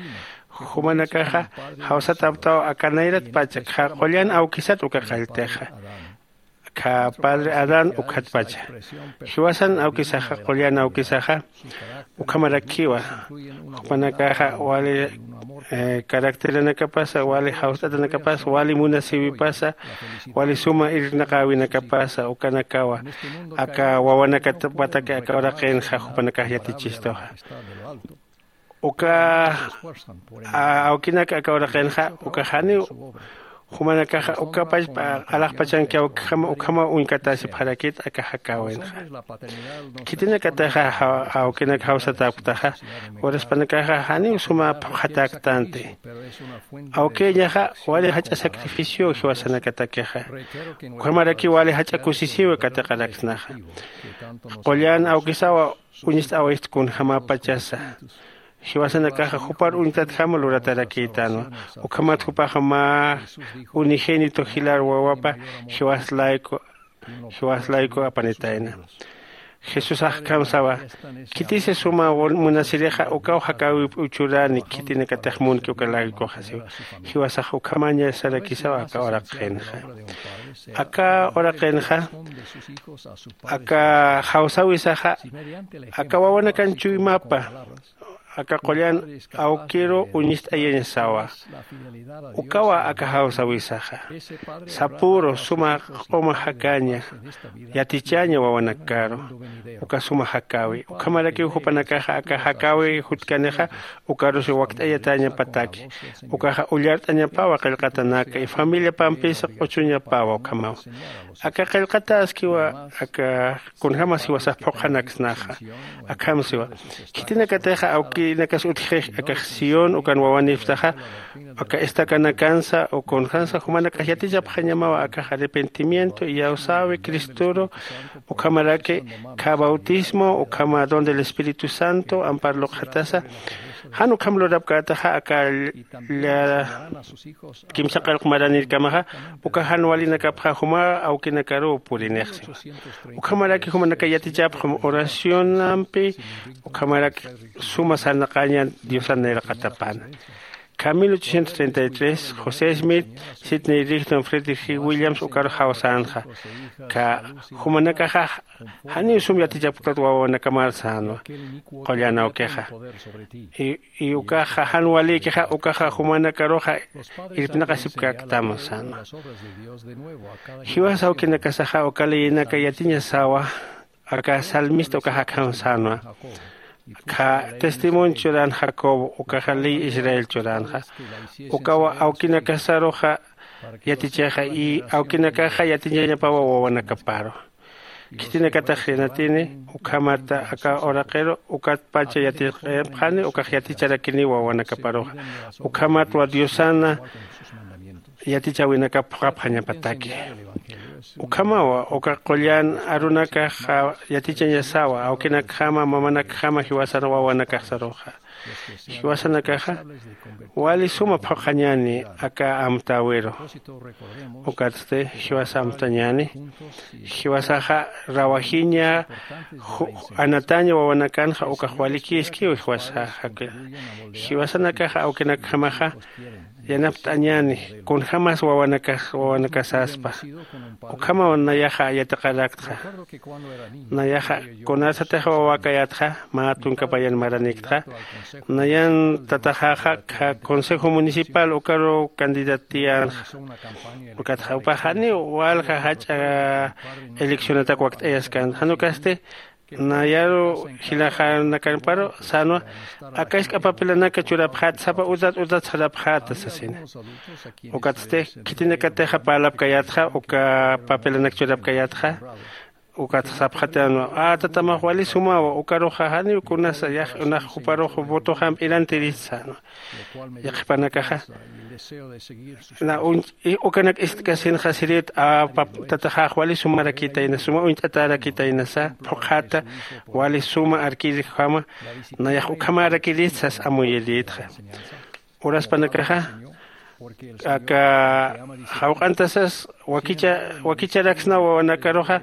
Jumanakaxa jawsataptawa aka nayratpacha kha qullan awkisat uka qalltixa. Kha padre adán ukhatpacha jiwasan awkisaxa qullan awkisaxa. Ukhamarakiwa jupanakaxa wali caracteranakapasa wali jawst'atanakapasa wali munasïwipasa wali suma irnaqäwinakapasa ukanakawa aka wawanakatpataki aka uraqinxa jupanakax yatichistuxa. Uka awkinak aka uraqinxa uka janiw jumanakaxa uka pachpa alaxpachanki awkijama ukhama uñkatäsipxarakit aka jakäwinxa. Khitinakataxa awkinak jawsatäpktaxa uraspanakaxa janiw suma phuqhatäktänti. Awkiñaxa wali jach'a sacrificio jiwasanakatakixa ukhamaraki wali jach'a kusisiwi katiqaraksnaxa. Qullan awkisawa uñist'äwist kunjämäpachasa. Jiwasanakaxa jupar uñtatjama luratarakïtänwa. Ukhamat jupaxa mä unigénito jilar wawapa jiwas layku jiwas layku apanitayna. Jesusax akham sawa, khitisa suma munasirixa ukaw jakäwip uchurani khitinakatix munki uka laykuxa siwa. Jiwasax ukhamañasarakisawa aka uraqinxa. Aka uraqinxa aka jawsäwisaxa aka wawanakan chuymapa aka qullan awkiru uñist'ayañasawa. Ukawa aka jawsäwisaxa sapüru suma q'uma jakaña yatichaña wawanakaru. Uka suma jakäwi ukhamarakiw jupanakaxa aka jakäwi jutkanixa ukarusi wakt'ayatäñapataki. Ukaxa ullart'añapawa qillqatanaka y familiapampisa q'uchuñapawa ukhamaw. Aka qillqatäskiwa aka kunjämas jiwasax phuqhanaksnaxa. Akham siwa khitinakatixa awkinakas utjxix akax sión ukan wawanipktaxa aka estacanakansa o kunjänsa jumanakax yatichapxañamawa akax arrepentimiento iyawsäwi cristoru ukhamaraki kha bautismo ukhama don del espíritu santo ampar luqxatasa. Jan ukham lurapkätaxa aka lla kimsa qillq maranirkamaxa uka jan walinakapxa juma awkinakaruw purinix siwa. Ukhamaraki jumanaka yatichapxam oracionampi ukhamarak suma sarnaqaña diosan nayraqatapana. Kha mil ochocientos treinta y tres josé smith, sidney rigdon frederick g williams ukaru jawsänxa. Kha jumanakaxa janiw sum yatichapktat wawanakamarsanwa qullan awkixa. Y ukaxa jan walikixa ukaxa jumanakaruxa irpnaqasipkäktam sänwa. Jiwas awkinakasaxa uka leyinaka yatiñasawa aka salmista ukax akham sänwa. Kha testimonio churan jacob ukaxa ley israel churanxa ukawa awkinakasaruxa yatichaxa y awkinakaxa yatichañapawa wawanakaparu. Khitinakatax yanatini ukhamata aka uraqiru ukatpacha yatiq'ipxani ukax yaticharakiniwa wawanakaparuxa. Ukhamatwa diosana yatichäwinakap phuqhapxañapataki. Ukhamawa uka qullan arunakax yatichañasawa awkinakjama mamanakjama jiwasan wawanakaxsaruxa. Jiwasanakaxa Wali suma phuqhañäni aka amtäwiru. Ukatsti jiwasa amtañäni, jiwasaxa rawajiña anataña wawanakanxa ukax walikïskiw jiwasaxa. Jiwasanakaxa awkinakjamaxa yanapt'añäni kunjämas wawanakax wawanakasaspa. Ukhamaw nayaxa yatiqaraktxa. Nayaxa kunasatix wawakayätxa mä tunkapayan maranikta nayan tataxaxa kha consejo municipal ukaru candidatiyänxa. Ukatxa upaxani walja jach'a eleccionatak wakt'ayaskan janukasti nayaru jilaxanakamparu sänwa aka isk'a papelanaka churapxäta sapa utat utat sarapxäta sasina. Ukatsti khitinakatixa parlapkayätxa uka papelanak churapkayätxa. Ukatxa sapxatänwa a tatamax wali sumawa ukaruxa janiw kunasa yax unax juparux votoxamp irantirista sänwa. Yaqhipanakaxa na ukanak ist'kasinxa sirit a tataxax wali sumarakitayna suma uñt'atarakitaynasa phuqhata wali suma arkirjama nayax ukhamarakirista sas amuyirïtxa. Uraspanakaxa aka jawq'antasas wakicha wakicharaks na wawanakaruxa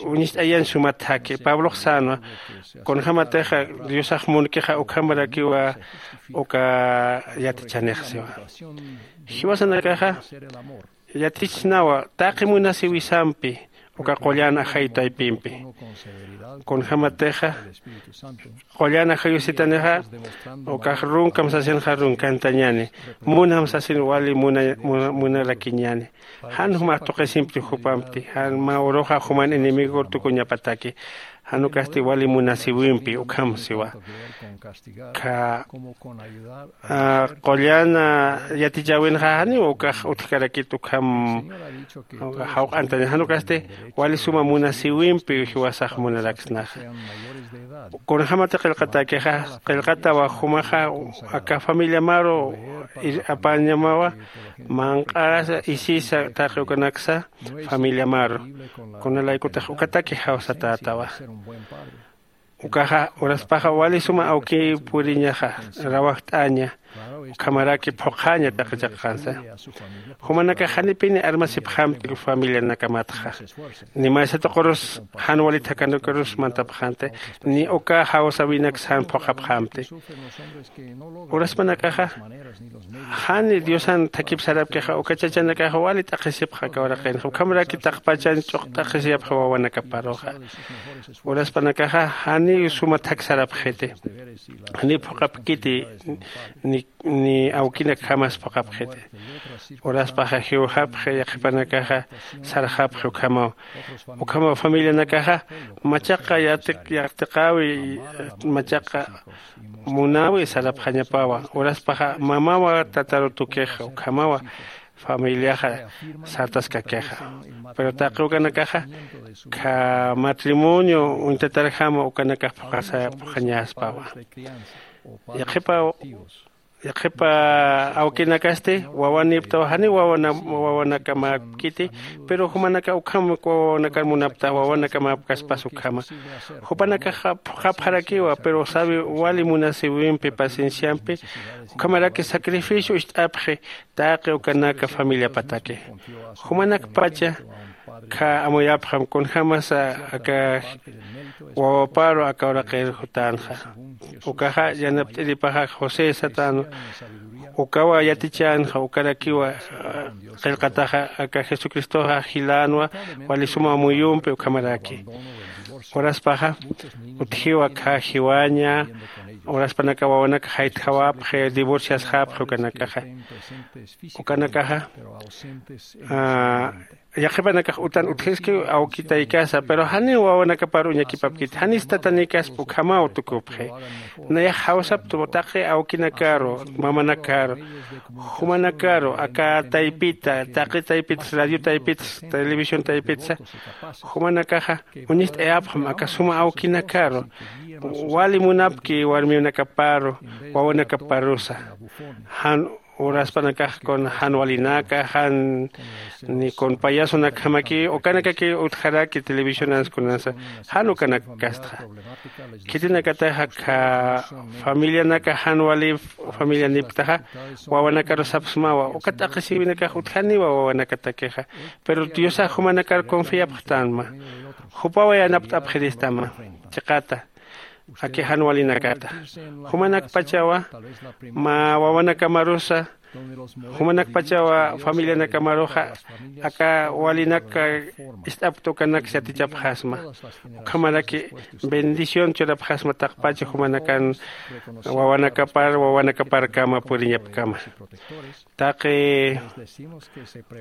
uñist'ayan suma thaki pablox sänwa. Kunjämatixa diosax munkixa ukhamarakiwa uka yatichanix siwa. Jiwasanakaxa yatichsnawa taqi munasiwisampi uka qullan ajayu taypimpi. Kunjämatixa qullan ajayusitanixa ukax runkam sasinxa runkantañäni. Munam sasin wali munarakiñäni. Jan jumax tuqisimpti jupampti jan mä uruxa juman enemigur tukuñapataki. Jan ukasti wali munasiwimpi ukham siwa. Kha qullan yatichäwinxa janiw ukax utjkarakit ukham jawq'antaña jan ukasti wali suma munasiwimpi jiwasax munaraksnaxa. Kunjämati qillqatäkixa qillqatawa jumaxa aka familiamaru apañamawa manq'asa isisa taqi ukanaksa familiamaru. Kunalaykutix ukataki jawsatätawa. Ukaxa uraspaxa wali suma awkiw puriñaxa rawajt'aña ukhamaraki phuqhaña taqi chiqansa. Jumanakax janipini armasipxamti familianakamatxa ni maysa tuqurus jan wali thakanakarus mantapxanti ni uka jawsäwinaks jan phuqhapxamti. Uraspanakaxa jani diosan thakip sarapkixa uka chachanakaxa wali t'aqhisipxa aka uraqinxa ukhamaraki taqpachan ch'uqt'aqhisiyapxa wawanakaparuxa. Uraspanakaxa janiw suma thak sarapxiti janiw phuqhapkiti ni awkinakjamas phuqhapxiti. Uraspaxa jiwxapxi yaqhipanakaxa sarxapxi ukhamaw. Ukhamaw familianakaxa machaqa yaqtiqäwi machaqa munäwi sarapxañapawa uraspaxa mamawa tataru tukixa ukhamawa familiaxa sartaskakixa. Pero taqi ukanakaxa kha matrimonio uñtatarjama ukanakax phuqañaspawa. Yaqhipaw yaqhipa awkinakasti wawanïptaw janiw wawanakamapkiti. Pero jumanaka ukham wawanakar munaptax wawanakamäpkaspas ukhama. Jupanakaxa phuqhapxarakiwa pero sawi wali munasiwimpi pacienciampi ukhamaraki sacrificio ist'apxi taqi ukanaka familiapataki. Jumanakpacha kha amuyapxam kunjämasa aka wawaparu aka uraqir jutänxa. Ukaxa yanapt'iripaxa josé satänwa. Ukawa yatichänxa ukarakiwa qillqataxa aka jesucristoxa jilänwa wali suma amuyumpi ukhamaraki. Uraspaxa utjiwa kha jiwaña uraspanaka wawanaka jaytjawapxi divorciasxapxi ukanakaxa. Ukanakaxa yaqhipanakax utan utjiskiw awkitaykasa pero janiw wawanakapar uñakipapkiti janis tatanïkaspa ukhamaw tukupxi. Nayax jawsaptwa taqi awkinakaru mamanakaru jumanakaru aka taypita taqi taypitas radio taypitas televisión taypitsa jumanakaxa uñist'ayapxam aka suma awkinakaru wali munapki warmiwnakaparu wawanakaparusa jan uraspanakax kun jan walinaka jan ni kun payasunakjamaki ukanakaki utjaraki televisionans kunansa jan ukanak kastxa. Khitinakataxa kha familianaka jan wali familianipktaxa wawanakarus sapxsmawa uka t'aqhisiwinakax utjaniwa wawanakatakixa. Pero diosax jumanakar confiapxtanma. Jupawa yanapt'apxiristama chiqata aki jan walinakata. Jumanakpachawa mä wawanakamarusa jumanakpachawa familianakamaruxa aka walinak ist'apkta ukanaks yatichapxasma. Ukhamaraki bendición churapxasma taqpacha jumanakan wawanakapar wawanakaparkama puriñapkama. Taqi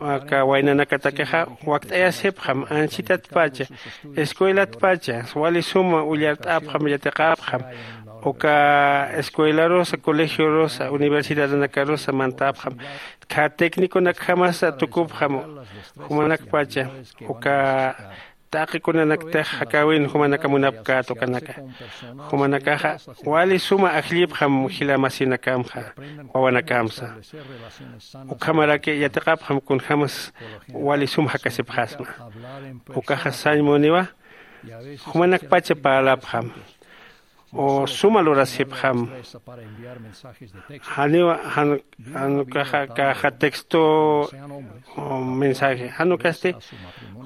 aka waynanakatakixa wakt'ayasipxam ansitatpacha escuelatpacha wali suma ullart'apxam yatiqapxam. Uka escuelarusa colegiorusa universidadnakarusa mantapxam kha tecniconakjamasa tukupxam. Jumanakpacha uka taqi kunanaktix jakäwin jumanaka munapkät ukanaka jumanakaxa wali suma ajllipxam jila masinakamxa wawanakamsa. Ukhamaraki yatiqapxam kunjämas wali sum jakasipxasma. Ukaxa sañ muniwa jumanakpacha parlapxam o suma lurasipxam. Janiwa jan jan ukaxa kaxa texto o mensaje jan ukasti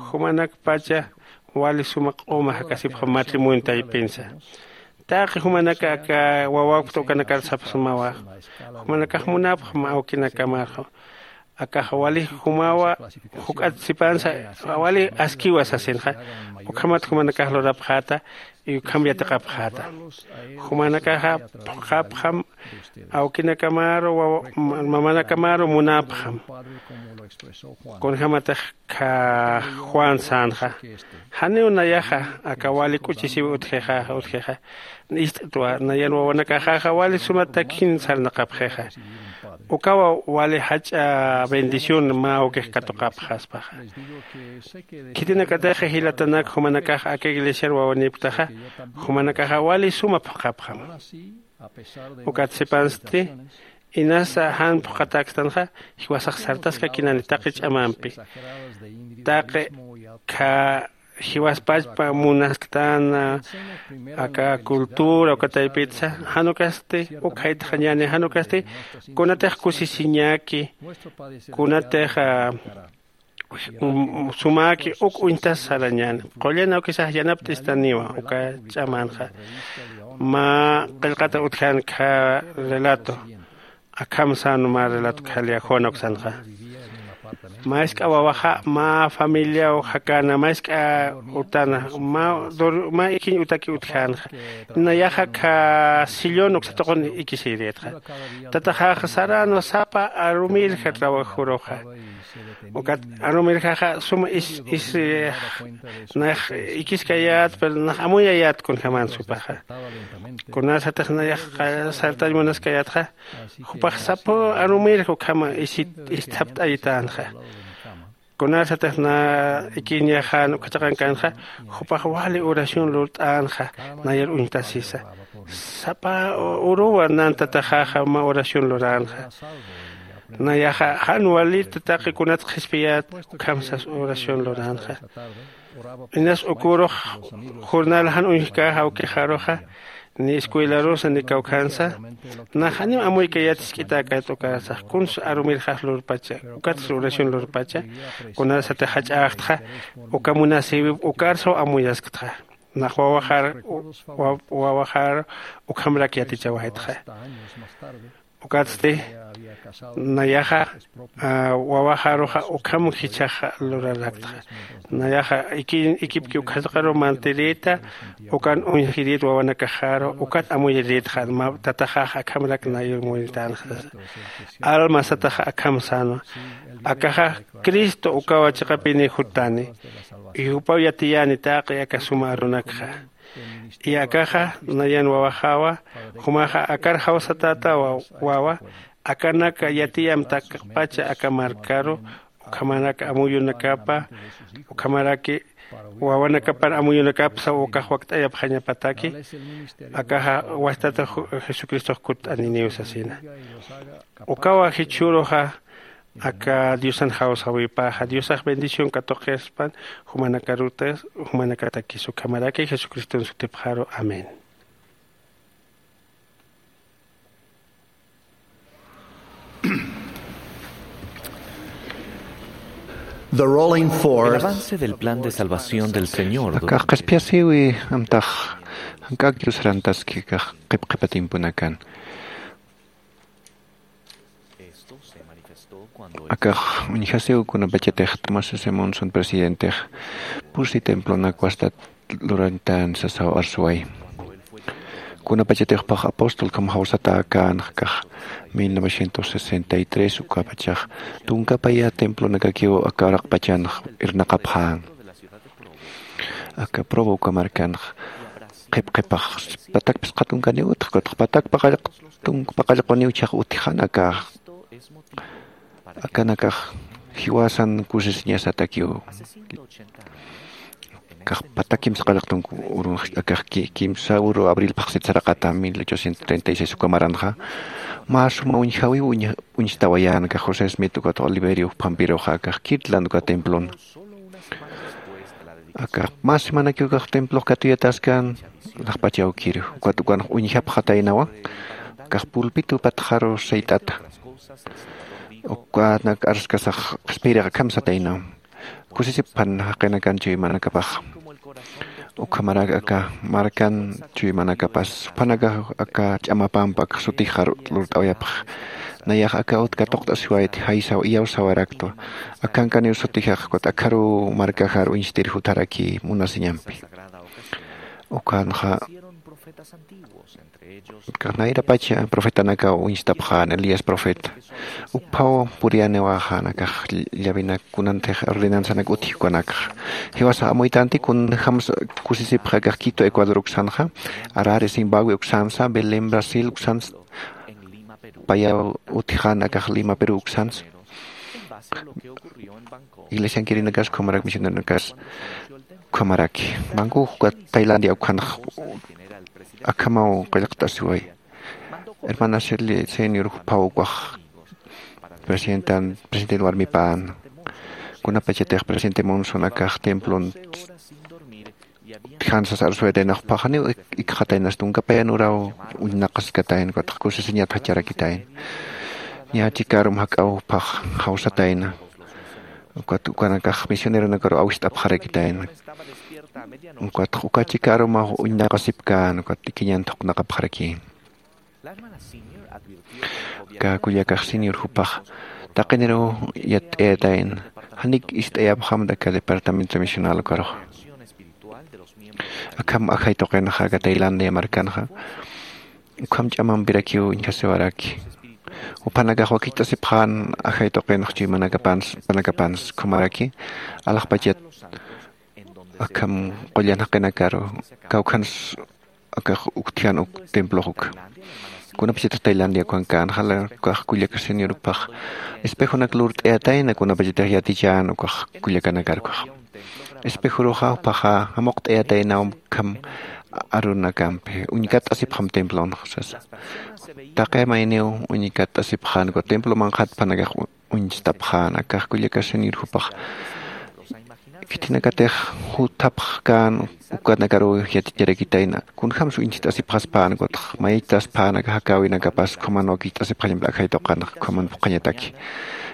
jumanakpacha wali suma q'uma jakasipxam matrimonio taypinsa. Taqi jumanaka aka wawakpta ukanakar sapxsmawa jumanakax munapxam awkinakamar akax wali jumawa juk'at sipansa wali askiwa sasinxa. Ukhamat jumanakax lurapxäta y ukham yatiqapxäta. Jumanakaxa phuqhapxam awkinakamaru mamanakamaru munapxam. Kunjämatix kha juan sänxa janiw nayaxa aka wali k'uchisiw utjixa utjixa ist'twa nayan wawanakaxaxa wali suma takhin sarnaqapxixa. Ukawa wali jach'a bendición mä awkix katuqapxaspaxa. Khitinakatix jilatanak jumanakax aka iglesiar wawanipktaxa jumanakaxa wali suma phuqhapxam. Ukat sipansti inasa jan phuqhatäkstanxa jiwasax sartaskakinani taqi ch'amampi taqi kha jiwaspachpa munasktan aka cultura uka taypitsa jan ukasti ukhaytxañäni jan ukasti kunatix kusisiñäki kunatix sumäki uk uñtas sarañäni. Qullan awkisax yanapt'istaniwa uka ch'amänxa mä qillqata utjän kha relato akham sän mä relato kha liajona uksanxa. Mä isk'a wawaxa mä familiaw jakäna mä isk'a utana mä ikiñ utaki utjänxa. Nayaxa kha sillón uksa tuqun ikisirïtxa. Tataxaxa saränwa sapa arumirja trabajuruxa. Ukat arumirjaxa suma is is nax ikiskayät pero nax amuyayät kunjämän supaxa. Kunasatix nayax sartañ munaskayätxa jupax sapa arumirja ukhama ist'apt'aytänxa. Kunasatix na ikiñaxan uka chiqankänxa jupax wali oración lurt'änxa nayar uñtasisa. Sapa uruwa nan tataxaxa mä oración luränxa. Nayaxa jan walita taqi kunat qhispiyät ukham sas oración luränxa. Inas ukürux jornal jan uñjkäxa awkixaruxa ni escuelarusa ni kawkhansa nax janiw amuykayät jisk'itäkayät ukarsax kunsa arumirxax lurpacha ukatsa oración lurpacha. Kunasatix jach'äxtxa uka munasïwip ukarsaw amuyasktxa. Nax wawaxar wawaxar ukhamrak yatichawaytxa. Ukatsti nayaxa wawaxaruxa ukham jichhax luraraktxa. Nayaxa ikipki ukxataqaru mantirïta ukan uñjirït wawanakaxaru ukat amuyirïtxa. Tataxax akhamrak nayur muyrtänxa sasa. Alma sataxa akham sänwa akaxa cristo ukawa chiqapini juttani. Y jupaw yatiyäni taqi aka suma arunakxa. Y akaxa nayan wawaxawa jumaxa akar jawsatätawa wawa akanaka yatiyamtakpacha aka markaru ukhamarak amuyunakapa ukhamaraki Wawanakapan amuyunakapsa ukax wakt'ayapxañapataki, akaxa wastata ju-, Jesucristox kutt'aniniw sasina. Ukawa jichhüruxa aka Diosan jawsawipaxa, Diosax bendición katuqispan jumanakarutas, jumanakatakis ukhamaraki Jesucriston sutipxaru. Amén. The rolling forth. El avance del plan de salvación del Señor. Akax qhispiyasiwi amtax jank'ak Dios sarantaski akax qhip qhipa tiemponakan. Akax uñjasiw kunapachatix Thomas S. Monson presidentex pusi templonak wastat lurantan sasaw arsuway. Kunapachatix pax apóstol kham jawsatäkän akax mil novecientos sesenta y tres ukapachax tunkapaya templonakakiw aka uraqpachanx irnaqapxän. Aka Provo uka markanx qhip qhipax patak phisqa tunkaniw utjkutx patak paqallq tunk paqallquniw chhaq utjan aka akanakax jiwasan kusisiñasatakiw. Kax pata kimsa qallqtun urunx akax ki-, kimsa uru abril phaxsit saraqata mil ochocientos treinta y seis uka maranxa. Mä suma uñjawiw uñ-, uñstawayän akax José Smith ukat Oliverio phampiruxa akax kirtlan uka templon. Akax mä semanakiw akax templox katuyataskan laxpach awkir ukat ukanx uñjapxataynawa. Akax pulpito patxaru sayt'ata ukanak arskasax qhispiyirix akham sataynaw. Kusisipxan jaqinakan chuymanakapax. Ukhamarak aka markan chuymanakapas jupanakax aka ch'amapamp akax sutixar lurt'awayapx. Nayax aka ut katuqt'asiwayt jaysaw iyawsawaraktwa. Akhankaniw sutixax ukat akharuw markaxar uñstir jutharaki munasiñampi. Ukanxa Kax nayrapacha profetanakaw uñstapxän Elías profeta. Ukphaw puriyaniwaxa nakax llavinak kunantix ordenanzanak utji ukanakxa. Jiwasa amuytanti kunjams kusisipxa akax Quito Ecuador uksanxa, Harare Zimbabue uksansa, Belén Brasil uksansa, payaw utjxän akax Lima Perú uksansa. Iglesiankirinakas ukhamarak misioneronakas ukhamaraki. Bangkok ukat Tailandia ukhanx akhamaw qillqt'asiway. Hermana Shirley Senior juphaw ukax presidentan, presidente warmipän. Kunapachatix presidente Monson akax templon utjansas arsuwaytaynax phaxaniw ik-, ikxataynas tunka payan uraw uñnaqaskatayna, ukatx kusisiñat jacharakitayna. Ña chikarum jak'aw phax jawsatayna. Ukat ukanakax misioneronakaru awist'apxarakitayna. Ukatx uka chikarumaw uñnaqasipkän, ukat ikiñan thuqnaqapxaraki. Aka kullakax senior jupax taqiniruw yatt'ayatayna, janik ist'ayapxamta aka departamento misional ukaruxa. Akham ajay tuqinxa aka Tailandia markanxa ukham ch'amampirakiw uñjasiwaraki. Juphanakax wakicht'asipxän ajay tuqinx chuymanakapans, jupanakapans ukhamaraki alaxpachat akham qullan jaqinakaru kawkhans akax uktjan uk templox uk. Kunapachatix Tailandia ukhankän jala ukax kullaka senior jupax espejonak lurt'ayatayna, kunapachatix yatichän ukax kullakanakar ukax. Espejoruxa juphaxa jamuqt'ayataynaw akham arunakampi, uñkatt'asipxam templonx sasa. Taqi mayniw uñkatt'asipxän uka templo manqhat juphanakax uñstapxän, akax kullaka senior jupax. Khitinakatix juthapxkän ukanakaruw yaticharakitayna, kunjams uñcht'asipxaspän, ukatx mayt'aspäna aka jakäwinakapas ukhaman wakicht'asipxañampi ajay tuqinx ukhaman phuqhañataki.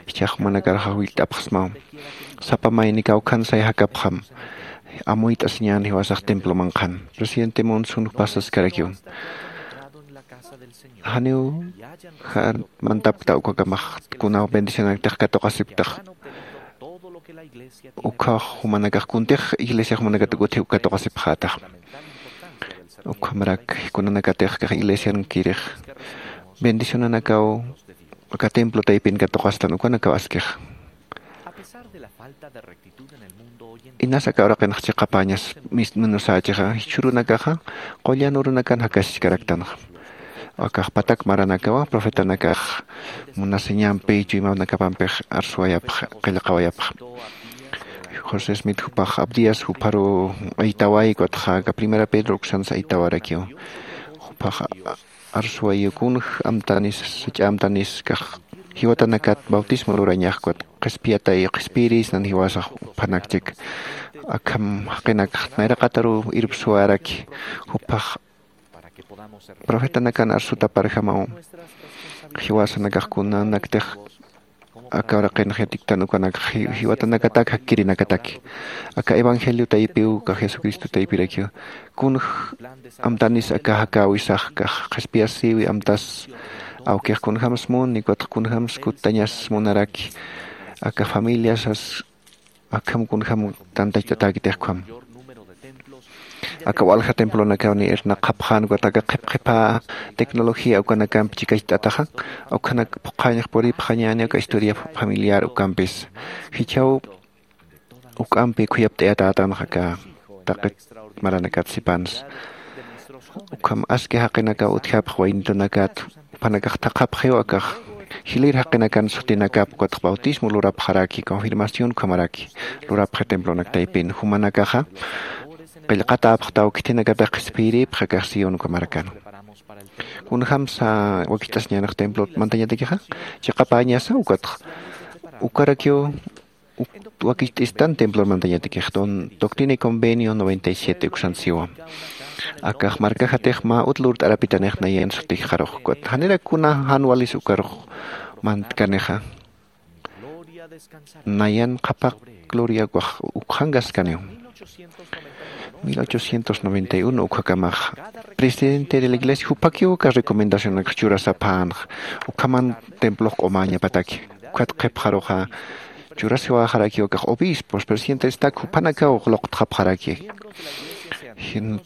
Jichhax jumanakarxa jawillt'apxsmaw. Sapa mayni kawkhansay jakapxam. Amuyt'asiñän jiwasax templo manqhan. Presidente Monson jupas saskarakiw. Janiw jan mantapkta ukakamax kunaw bendicionaktix katuqasipktax. Ukhax jumanakax kuntix iglesia jumanakat utji katuqasipxätax. Ukhamarak kunanakatix kax iglesiankirix bendicionanakaw aka templo taypin katuqastan ukanakaw askix. Inas aka uraqinx chiqapäñas mis-, minusächixa, jichhürunakaxa qullan urunakan jakasichkaraktanxa. Akax patak maranakawa profetanakax munasiñampi chuymanakapampix arsuwayapxa, qillqawayapxa. José Smith jupax Abdías juparu aytaway, ukatxa aka Primera Pedro uksansa aytawarakiw. Jupax arsuwayu kunj amtanis, sach'a amtanis kax jiwatanakat bautismo lurañax, ukat qhispiyatay qhispiyirïsnan jiwasax juphanakchik. Akham jaqinakax nayraqataru irpsuwaraki, jupax profetanakan arsutaparjamaw. Jiwasanakax kunanaktix aka uraqinx yatiktan ukanakax ji-, jiwatanakatak jakkirinakataki. Aka evangelio taypiw, aka Jesucristo taypirakiw. Kunj amtanis aka jakäwisax kax qhispiyasïwi amtas, awkix kunjams muni, ukatxa kunjams kuttañas munaraki. Aka familiasas akham kunjam tantacht'atäkitix ukham. Aka walja templonakawni irnaqxapxän, ukat aka qhip qhipha tecnología ukanakamp chikacht'ataxa, ukhanak phuqhañax puripxañäni aka historia familiar ukampis. Jichhaw juk'ampi khuyapt'ayatätanxa aka taqi maranakat sipansa. Ukham aski jaqinakaw utjapx waynitunakat, juphanakax thaqhapxiw akax jilïr jaqinakan sutinakap, ukatx bautismo lurapxaraki, confirmación ukhamaraki lurapxi templonak taypin. Jumanakaxa qillqatäpxtaw, khithinakatix qhispiyirïpxi akax Sión ukhamarkan. Kunjamsa wakicht'asiñänix templo mantañatakixa, chiqapäñasa, ukatx ukarakiw uk-, wakicht'istan templor mantañatakix, don-, Doctrina y Convenio noventa y siete uksan siwa. Akax markajatix mä ut lurt'arapitanix nayan sutijxarux, ukat janirak kuna jan walis ukarux mantkanixa. Nayan qhapaq gloria ukax ukxankaskaniw. Mil ochocientos noventa y uno ukhakamax presidente de la iglesia jupakiw aka recomendacionakx churasapänxa, ukhaman templox q'umäñapataki. Ukat qhipxaruxa churasiwäxarakiw akax obispos, presidentestak, jupanakaw luqtxapxaraki. Jin-,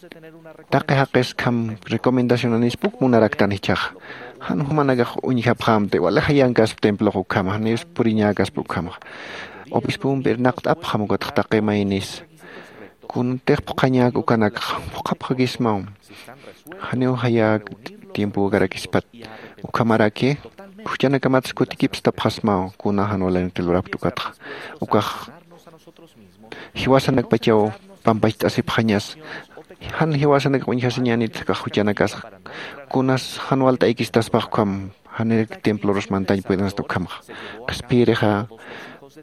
taqi jaqis akham recomendacionanispa uk munaraktan jichhaxa. Jan jumanakax uñjapxämti, wali jayankaspa templox ukhama, janiw puriñäkaspa ukhamaxa. Obispompi irnaqt'apxam, ukatx taqi maynis. Kuntix phuqhañäk ukanakxa phuqhapxakismaw. Janiw jayäk tiempokarakispat. Ukhamaraki juchanakamatsa kutikipstapxasmaw, kuna jan walinakti lurapkta ukatxa. Ukax jiwasanakpachaw pampacht'asipxañas. Jan jiwasanakax uñjasiñänit akax juchanakasa. Kunas jan walt'aykistaspax ukham, janirak templorus mantañ puedensti ukhamxa. Qhispiyirixa,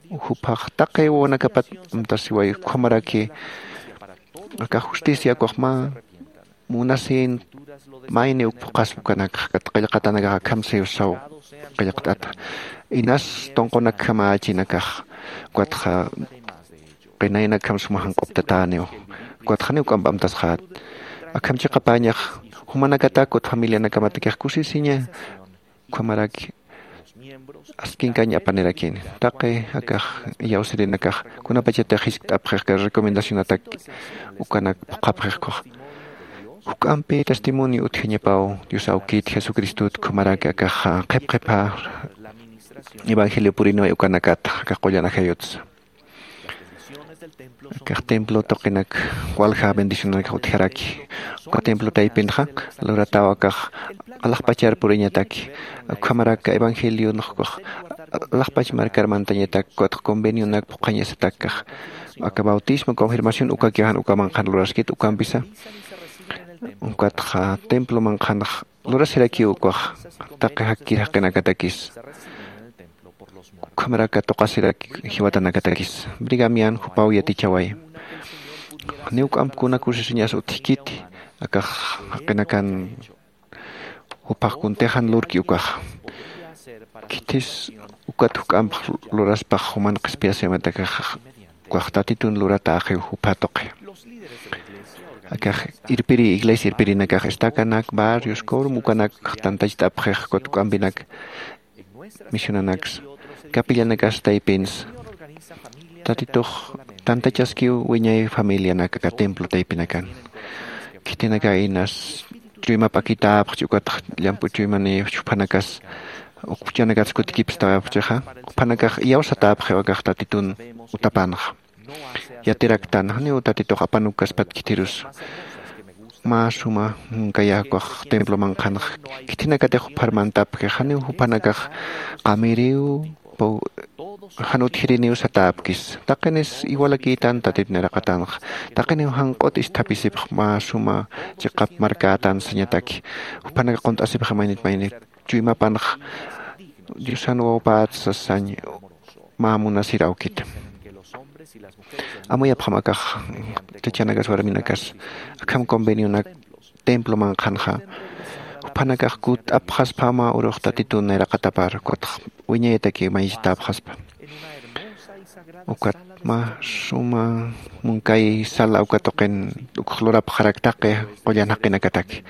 juphax taqi wawanakapat amtasiway, ukhamaraki aka justicia ukax mä munasïn mayni uk phuqhaspa ukanakxa, ukat qillqatanakax akham siwsaw qillqt'ata. Inas tunqunakjamächinakax, ukatxa qinaynakjam suma janq'uptatäniw, ukatxa janiw k'amp amtasxät. Akham chiqapäñax jumanakatak ukat familianakamatakix kusisiña, ukhamaraki askinkañ apanirakini. Taqi akax iyawsirinakax kunapachatix jiskt'apxix aka recomendacionatak ukanak phuqhapxix ukax. Juk'ampi testimonio utjañapaw Dios awkit Jesucristot, ukhamaraki akax qhip qhipha evangelio puriniway ukanakat, akax qullan ajayutsa. Akax templo tuqinak walja bendicionanakax utjaraki. Uka templo taypinxa lurataw akax alaxpachar puriñataki. Ukhamarak evangelionx ukax alaxpach markar mantañatak, ukatx convenionak phuqhañasatak akax. Aka bautismo, confirmación ukakiw jan uka manqhan luraskit, ukampisa ukatxa templo manqhanx lurasirakiw ukax taqi jakkir jaqinakatakis. Ukhamaraki tuqasirak jiwatanakatakis. Brigham Young jupaw yatichaway. Janiw k'amp kuna kusisiñas utjkiti, akax jaqinakan juphax kuntix jan lurki ukaxa. Khithis ukat juk'amp luraspax juman qhispiyasïmatakax, ukax Tatitun luratäxiw jupha tuqi. Akax irpiri, iglesia irpirinakax, estakanak, barrios, quórum ukanak tantacht'apxix, ukat juk'ampinak misionanaksa, capillanakas taypinsa. Tatitux tantachaskiw wiñay familianak aka templo taypinakan. Khitinaka inas chuyma p'akitäpxchi, ukatx llamp'u chuymanïpxchi, juphanakas uk juchanakats kutikipstäpxixa, juphanakax iyawsatäpxiw akax Tatitun utapanxa. Yatiraktan, janiw Tatitux apanukaspat khitirus. Mä suma munkayä ukax templo manqhanx, khitinakatix juphar mantapxi, janiw juphanakax qamiriw, paw-, jan utjiriniw satäpkis. Taqinis iwalakïtan Tatit nayraqatanxa. Taqiniw janq'ut isthapisipx mä suma chiqap markätan sañataki. Juphanaka qunt'asipxi maynit maynit chuymapanx Diosan wawpät sasañ mä munasir awkita. Amuyapxam akax chachanakas warminakas akham convenionak templo manqhanxa. Juphanakax kutt'apxaspa mä urux Tatitun nayraqatapar ukatx wiñayataki mayisitapxaspa. Ukat mä suma munkay sala uka tuqin ukx lurapxarak taqi qullan jaqinakataki.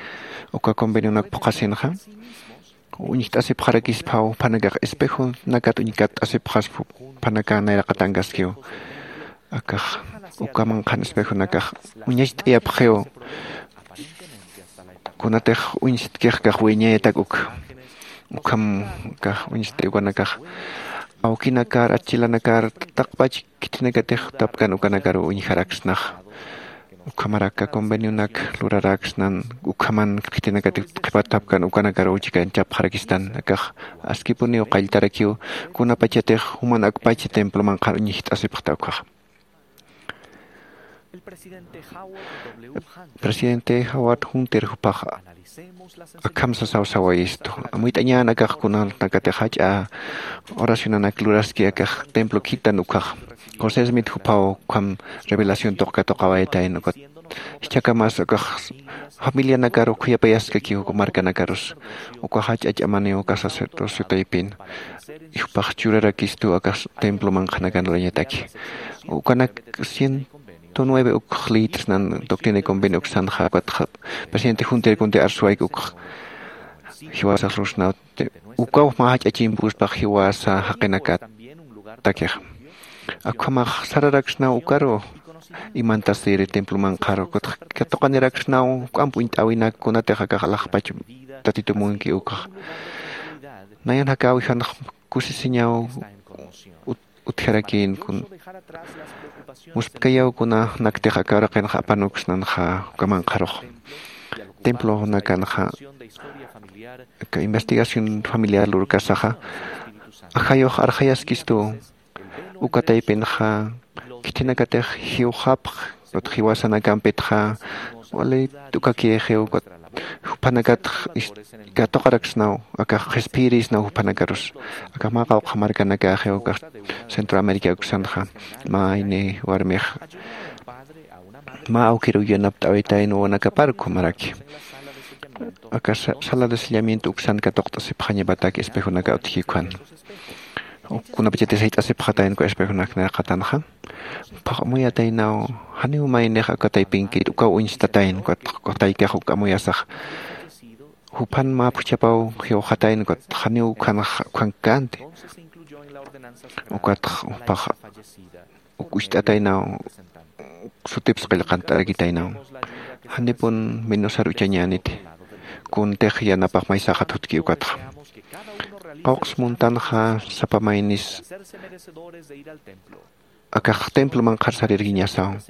Uka convenionak phuqhasinxa uñjt'asipxarakispaw juphanakax espejonakat uñkatt'asipxaspa. Juphanaka nayraqatankaskiw akax uka manqhan espejonakax uñacht'ayapxiw. Kunatix uñstkix kax wiñayatak uk ukham kax uñst'ay ukanakax awkinakar atchilanakar taqpach khithinakatix tapkan ukanakaru uñjaraksnax. Ukhamaraka convenionak luraraksnan ukhaman khithinakatix qhipat tapkan ukanakaru chikanchapxarakistan akax askipuniw qalltarakiw kunapachatix juman akpachi templo manqhar uñjt'asipxta ukhax. Presidente Howard Hunter jupax akham sasaw sawayistu. Amuyt'añän akax kunanakatix jach'a oracionanak luraski akax templo khitan ukhax. José Smith jupaw ukham revelación tuqkatuqawaytayn ukat jichhakamas akax familianakar ukhuyapayaskakiw markanakarus ukax jach'a ch'amaniw uka sacerdociotaypin. Jupax churarakistu akax templo manqhanakan lurañataki. Ukanak ciento nueve ukx leyt'snan doctrina y convenio uksanxa ukatxa presidente Hunter kunti arsuwayk ukx jiwasax rusnaw ukaw mä jach'a chimpuspax jiwasa jaqinakatakix. Akhamax sararaksnaw ukaru imantasiri templo manqharu ukatxa katuqaniraksnaw juk'amp uñt'äwinak kunatix akax alaxpach Tatitu munki ukxa. Nayan jakäwijanx kusisiñaw utjarakïn kun muspkayaw kuna naktix aka uraqinxa apanuksnanxa uka manqharux templonakanxa aka investigación familiar lurkasaxa ajayux arxayaskistu. Uka taypinxa khithinakatix jiwxapx ukat jiwasanakampitxa wali t'ukakïxiw ukat juphanakatx katuqaraksnaw akax qhispiyirïsnaw juphanakarus. Akax mä qawqha markanakäxiw akax centroamérica uksanxa mä ini warmix mä awkiruw yanapt'awitayn wawanakapar ukhamaraki aka sala de sellamiento uksan katuqt'asipxañapatak espejonaka utjki ukhan. Kunapachatix jayt'asipxatayn uka espejonak nayraqatanxa. Phax amuyataynaw janiw maynix aka taypinkit ukaw uñstatayn ukat taykax uk amuyasax juphan mä phuchhapaw jiwxatayn ukat janiw ukhanx ukhankänti. Ukatx jupax uk ucht'ataynaw sutips qillqant'arakitaynaw. Janipun menusar uchañäniti kuntix yanapax maysaxa thutki ukatxa. Qawqs muntanxa sapa maynis akax templo manqhar sarirkiñasaw.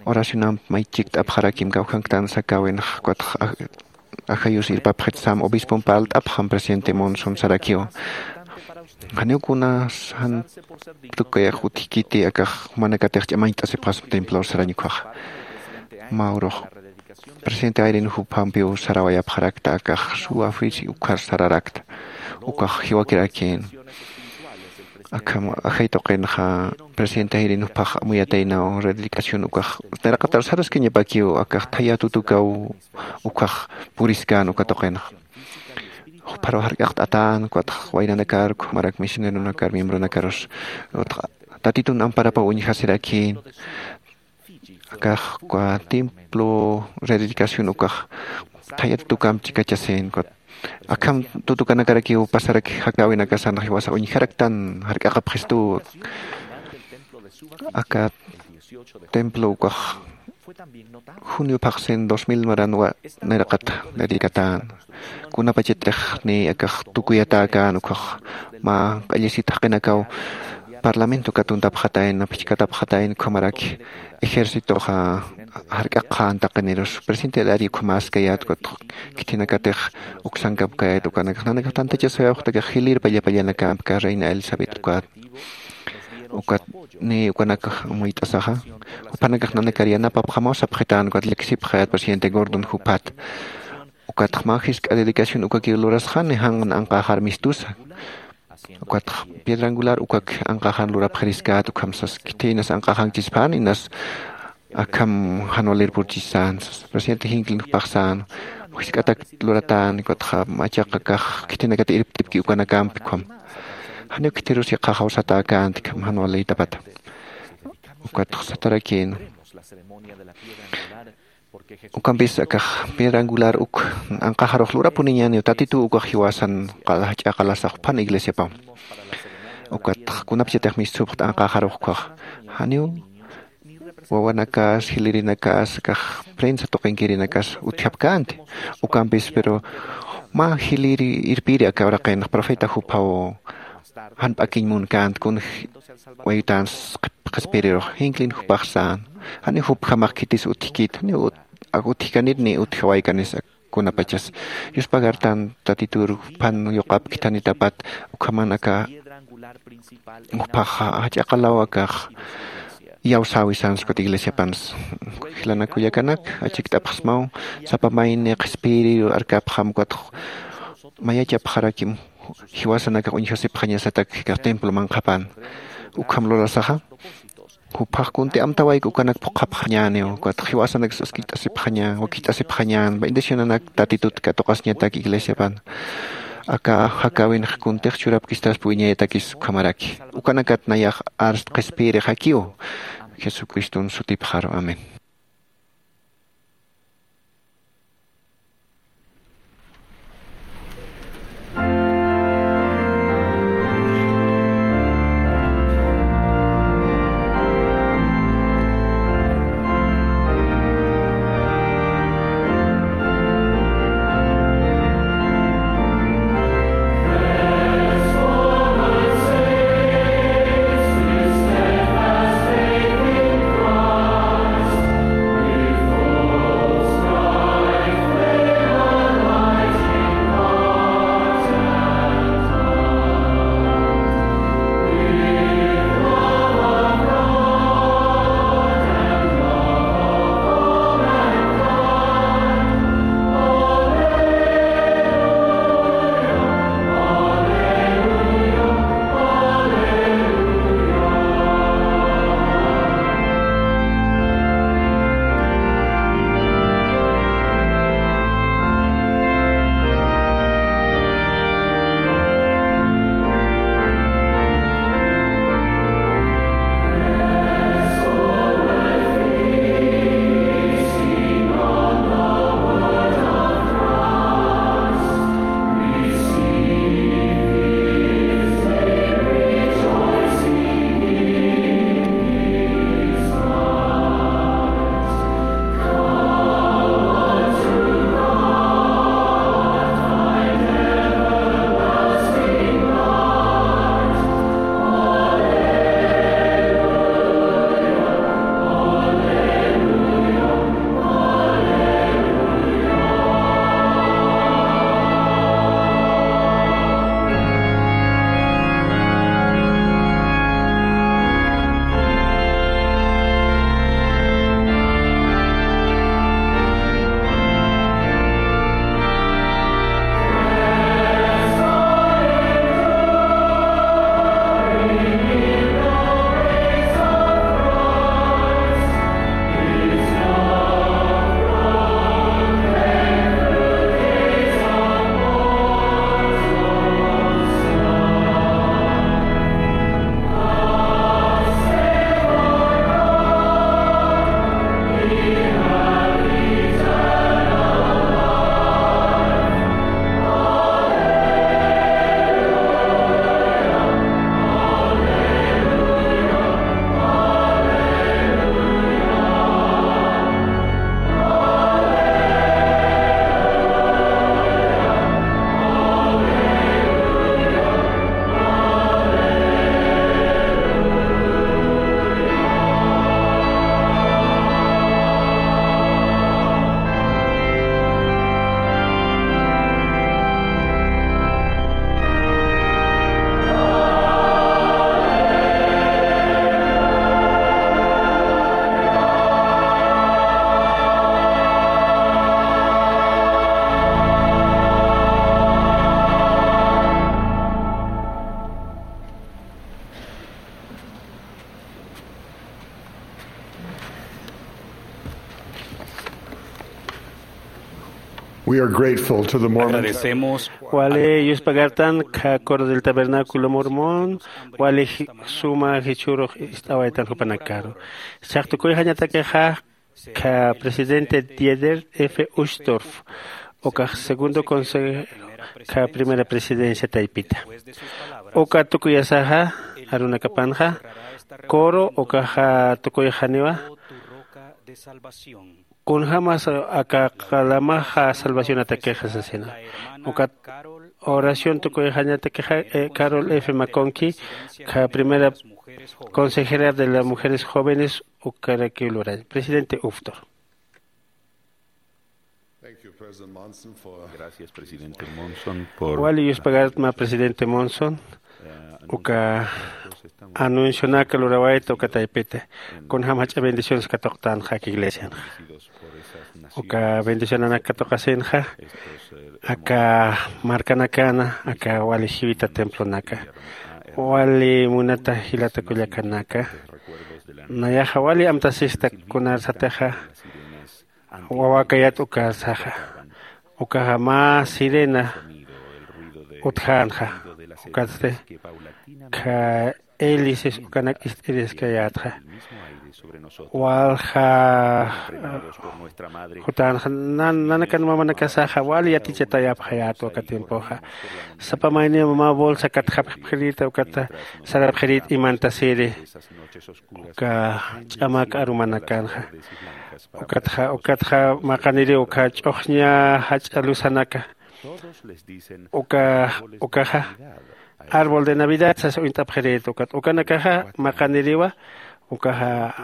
Oracionamp may chikt'apxarakim kawkhanktan sakäwinx ukatxa ajayus irpapxit sam obispomp parlt'apxam presidente monson sarakiw. Janiw kunas jan tukayax utjkiti akax jumanakatix ch'amañt'asipxaspa templor sarañ ukhaxa. Mä urux presidente ayrin juphampiw sarawayapxarakta akax suwafisi ukhar sararakta. Ukax jiwakirakïn akham ajay tuqinxa presidente ayrin juphax amuyataynaw rededicación ukax nayraqatar saraskañapakiw akax thaya tutukaw ukax puriskän uka tuqinxa. Jupharu jark'aqt'atän ukatx waynanakar ukhamarak misioneronakar miembronakarus utx tatitun amparapaw uñjasirakïn. Akax uka templo rededicación ukax thaya tutukamp chikachasin ukat akham tutukanakarakiw pasaraki jakäwinakasan jiwasa uñjaraktan jark'aqapxistu. Aka templo ukax junio phaxsin dos mil maran nayraqat dedicatän. Kunapachatix ni akax tukuyatäkän ukhax mä q'allisit jaqinakaw parlamento katuntapxatayn aphichkatapxatayn ukhamaraki ejércitoxa jark'aqxän taqinirus presidente dari ukhamäskayät ukat khithinakatix uksankapkayät ukanakax nanakax tantachasawayapxtakix jilïr pallapallanakämpka reina elizabeth ukat Ukat ni ukanakax amuyt'asaxa, jupanakax nanakar yanapapxamaw sapxitän, ukat llaksipxayät presidente Gordon juphat. Ukatx mä jisk'a dedicación ukakiw lurasxani, jan anqäxar mistusa. Ukatx piedra angular ukak anqäxan lurapxiriskät, ukham sas khithinas anqäxankchispän, inas akham jan walir purchisän, sas presidente jinklin jupax sän, jisk'atak luratän, ukatxa machaq akax khithinakat irptipki ukanakampi ukham. Janiw khithirus yaqha jawsatäkänti, ukham jan walïtapata. Ukatx satarakïn. Ukampis akax piedra angular uk anqäxarux lurapuniñäniw, Tatituw ukax jiwasan qal-, jach'a qalasax juphan iglesiapam. Ukat kunapachatix mistupxt anqäxarux ukkhax. Janiw wawanakas, jilïrinakas, akax prensa tuqinkirinakas utjapkänti. Ukampis, pero mä jilïri irpiri aka uraqinx profeta juphaw jan p'akiñ munkänti, kun wayutans qhispirirux, jinklin jupax sän. Jani jupjamax khitis utjkit, jani ut-, ak utjkanit ni utjawaykanis ak kunapachas. Yuspagartan Tatitur juphan yuqapktanitapat, ukhaman aka juphax jach'a qalaw akax iyawsäwi sänsa ukat iglesiapans. Jilanak kullakanak, achikt'apxsmaw, sapa mayni qhispiri arkapxam ukat mayachapxarakim jiwasanakax uñjasipxañasatak aka templo manqhapan. Ukham lurasaxa, juphax kunti amtawayku ukanak phuqhapxañäniw, ukat jiwasanak saskit'asipxañän, wakicht'asipxañän, bendicionanak Tatitut katuqasiñatak iglesiapan. Aka jakäwinx kuntix churapkistaspa wiñayatakis ukhamaraki. Ukanakat nayax arst qhispiyirixakiw, Jesucriston sutipxaru. Amén. We're grateful to the Mormon Agradecemos. Wali yuspagartan kha coro del tabernáculo mormón, wali ji- suma jichhurux ist'awaytan jupanakaru. Chhaqtukuy jañatakixa kha presidente Dieder F Uchtdorf, ukax segundo consejo kha primera presidencia taypita. Uka tukuyasaxa arunakapanxa coro ukaxa tukuyxaniwa. Kunjämas aka qalamaxa salvacionatakixa sasina. Ukat oración tukuyxañatakixa, eh, Carol F Maconqui, kha primera consejera de las mujeres jóvenes ukarakiw lurañ presidente uftor. Thank you, President Monson, for Gracias, presidente Monson, por wali yuspagartma presidente Monson, uka anuncionaka lurawayta uka taypita. Kunjäm jach'a bendiciones katuqtanxa aka iglesianxa. Uka bendicionanak katuqasinxa aka markanakana aka wali jiwita templonaka, wali munata jilata kullakanaka, nayaxa wali amtasista kunar satixa wawakayat ukasaxa. Ukaxa mä sirena utjänxa. Ukatsti kha hélices ukanak ist'iriskayätxa. Walja jutänxa nan- nanakan mamanakasaxa wali yatichatayapxayätwa aka tiempoxa. Sapa mayniw mä bolsa katjapxirïta ukata sarapxirïta imantasiri uka ch'amak arumanakanxa. Ukatxa ukatxa maqaniriw uka ch'uxña jach'a luzanaka. Uka ukaxa árbol de navidad sas uñt'apxirïta ukat ukanakaxa maqaniriwa. Ukaxa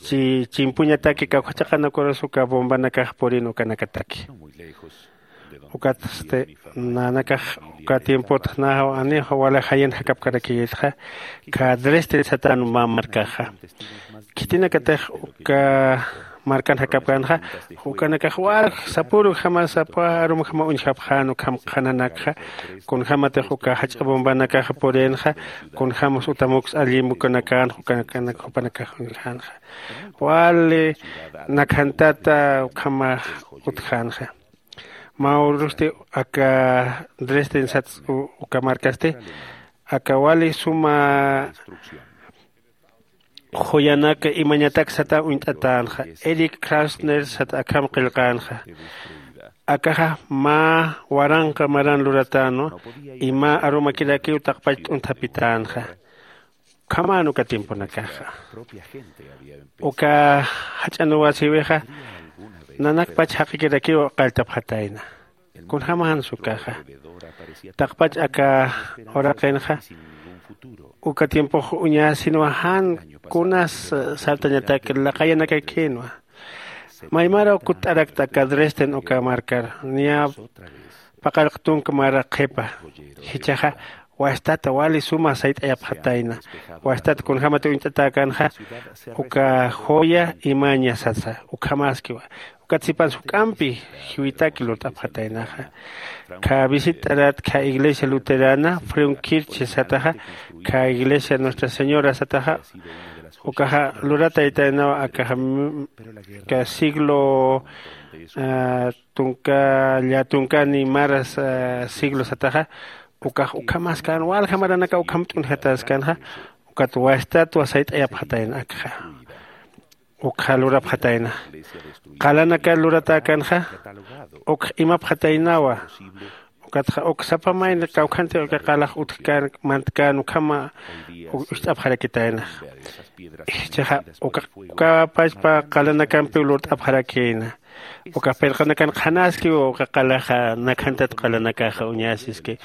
chi- chimpuñataki kawkhachaqanakuras uka bombanakax purin ukanakataki. Ukatsti nanakax uka tiempot naxaw anix wala jayan jakapkarakiyitxa kha Dresden satan mä markaxa. Khitinakatix uka markan jakapkänxa ukanakax wal sapürukjama sapa arumjama uñjapxän ukham qhananakxa. Kunjämatix uka jach'a bombanakaxa purinxa kunjämas utamuks allim ukanakänxa ukanakanak jupanakax uñjänxa. Wali nakhantata ukhama utjänxa. Mä urusti aka Dresden sats uka markasti aka wali suma joyanaka imañatak sata uñt'atänxa. Eric Krasner sat akham qillqänxa. Akaxa mä waranqa maran luratänwa y mä arumakirakiw taqpach t'unthapitänxa. Ukhaman uka tiemponakaxa uka jach'anuwasiwixa nanakpach jaqikirakiw qalltapxatayna. Kunjämans ukaxa taqpach aka uraqinxa uka tiempox uñasinwa jan kunas sartañatak laqayanakakïnwa. Maymaraw kutt'arakta aka Dresden uka markar niya paqallq tunka mara qhipa. Jichhaxa wastata wali suma sayt'ayapxatayna. Wastata kunjämat uñt'atäkänxa uka joya imaña sasa ukhamaskiwa. Ukat sipans juk'ampi jiwitaki lurt'apxataynaxa. Kha visitt'arat kha iglesia luterana Frauenkirche sataxa kha iglesia Nuestra Señora sataxa ukaxa lurataytaynawa akaxa siglo tunka llatunkani maras siglo sataxa. Ukax ukhamaskan walja maranaka ukham t'unjataskanxa. Ukat wastatwa sayt'ayapxatayna akxa ukxa lurapxatayna. Qalanaka luratäkanxa ukx imapxataynawa. Ukatxa uk sapa mayna kawkhanti uka qalax utjkän mantkän ukhama ucht'apxarakitayna. Jichhaxa uka uka pachpa qalanakampiw lurt'apxarakïna. Uka pirqanakan qhanaskiw uka qalaxa nakhantat qalanakaxa uñasiski.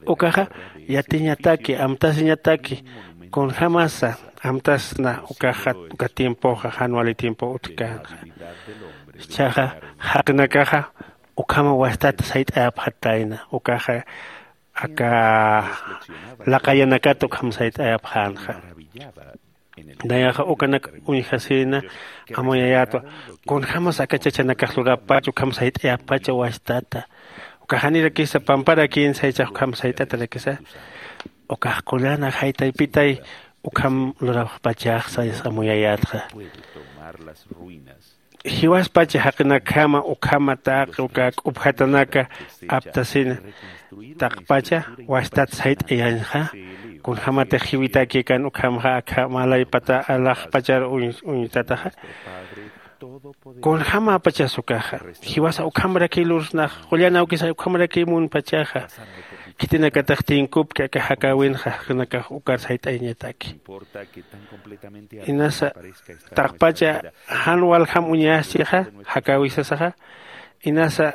Ukaxa yatiñataki amtasiñataki kunjämasa amtasna ukaxa uka tiempoxa jan wali tiempo utjkänxa. Jichhaxa jaqinakaxa ukhama wastat sayt'ayapxatayna ukaxa aka laqayanakat ukham sayt'ayapxänxa. Nayaxa ukanak uñjasïna amuyayätwa. Kunjämas aka chachanakax lurapach ukham sayt'ayappacha wastata uka janirakisa pamparakïn saychax ukham sayt'atarakisa. Ukax qullana jaytaypitay ukham lurapxpachax sayas amuyayätxa. jiwaspacha jaqinakjama ukhama taqi uka k'upjatanaka aptasina taqpacha wastat sayt'ayañxa. Kunjämatix jiwitakikan ukhamxa akha malaypata alaxpachar uñtataxa. Kunjämäpachas ukaxa jiwasa ukhamrakiy lursnax qullan awkisa ukhamrakiy munpachaxa. Khitinakatix tinkupki aka jakäwinxa jaqinakax ukar sayt'ayañataki. Inasa taqpacha jan waljam uñastixa jakäwisasaxa. Inasa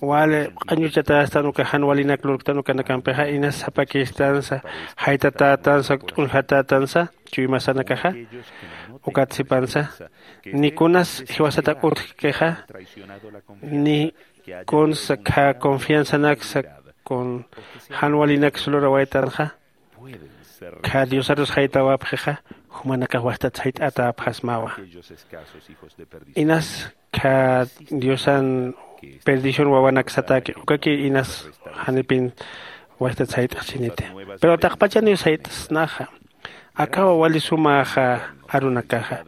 wali q'añuchatästan uka jan walinak lurktan ukanakampixa inas sapakistansa jaytatätansa t'unxatätansa chuymasanakaxa. Ukat sipansa ni kunas jiwasatak utjkixa ni kunsa khä confianzanaksa kun jan walinaksa lurawaytanxa. Khä diosarus jaytawapxixa jumanakax wastat sayt'atäpxasmawa. Inas khä diosan perdición wawanaksataki ukaki inas janipin wastat sayt'axchiniti. Pero taqpachaniw sayt'snaxa akawa wali sumäxa arunakaxa.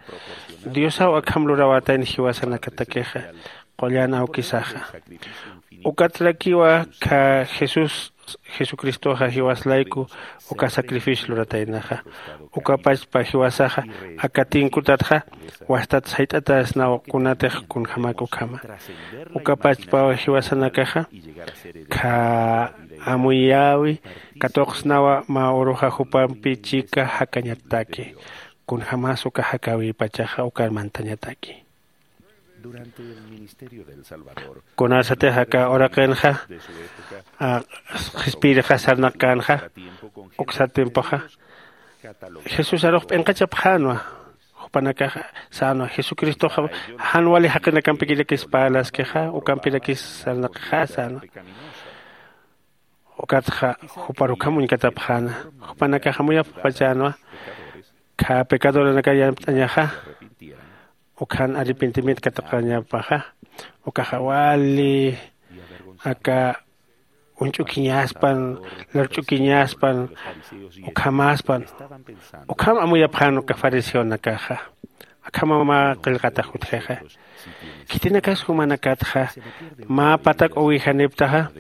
Diosaw akham lurawatayna jiwasanakatakixa qullan awkisaxa. Ukatrakiwa khä jesús jesucristoxa jiwas layku uka sacrificio lurataynaxa. Ukapachpa jiwasaxa aka tinkutatxa wastat sayt'atäsnaw kunatix kunjämak ukhama. Ukapachpaw jiwasanakaxa khä amuyäwi katuqsnawa mä uruxa jupampi chika jakañataki. Kunjämas uka jakäwipachaxa ukar mantañataki. Kunasatix aka uraqinxa qhispiyirixas sarnaqkänxa uksa tiempoxa jesús arux p'inqachapxänwa. Jupanakaxa sänwa jesucristoxa jan wali jaqinakampikirakis parlaskixa ukampirakis sarnaqixa sänwa. Ukatxa jupar ukham uñkatapxäna. Jupanakax amuyapxpachänwa khä pecadoranakar yanapt'añaxa ukhan arrepentimiento katuqañapaxa. Ukaxa wali aka uñch'ukiñaspan larch'ukiñaspan ukhamaspan. Ukham amuyapxän uka fariseonakaxa. Akhama mä qillqatax utjixa. Khitinakas jumanakatxa mä patak uwijaniptaxa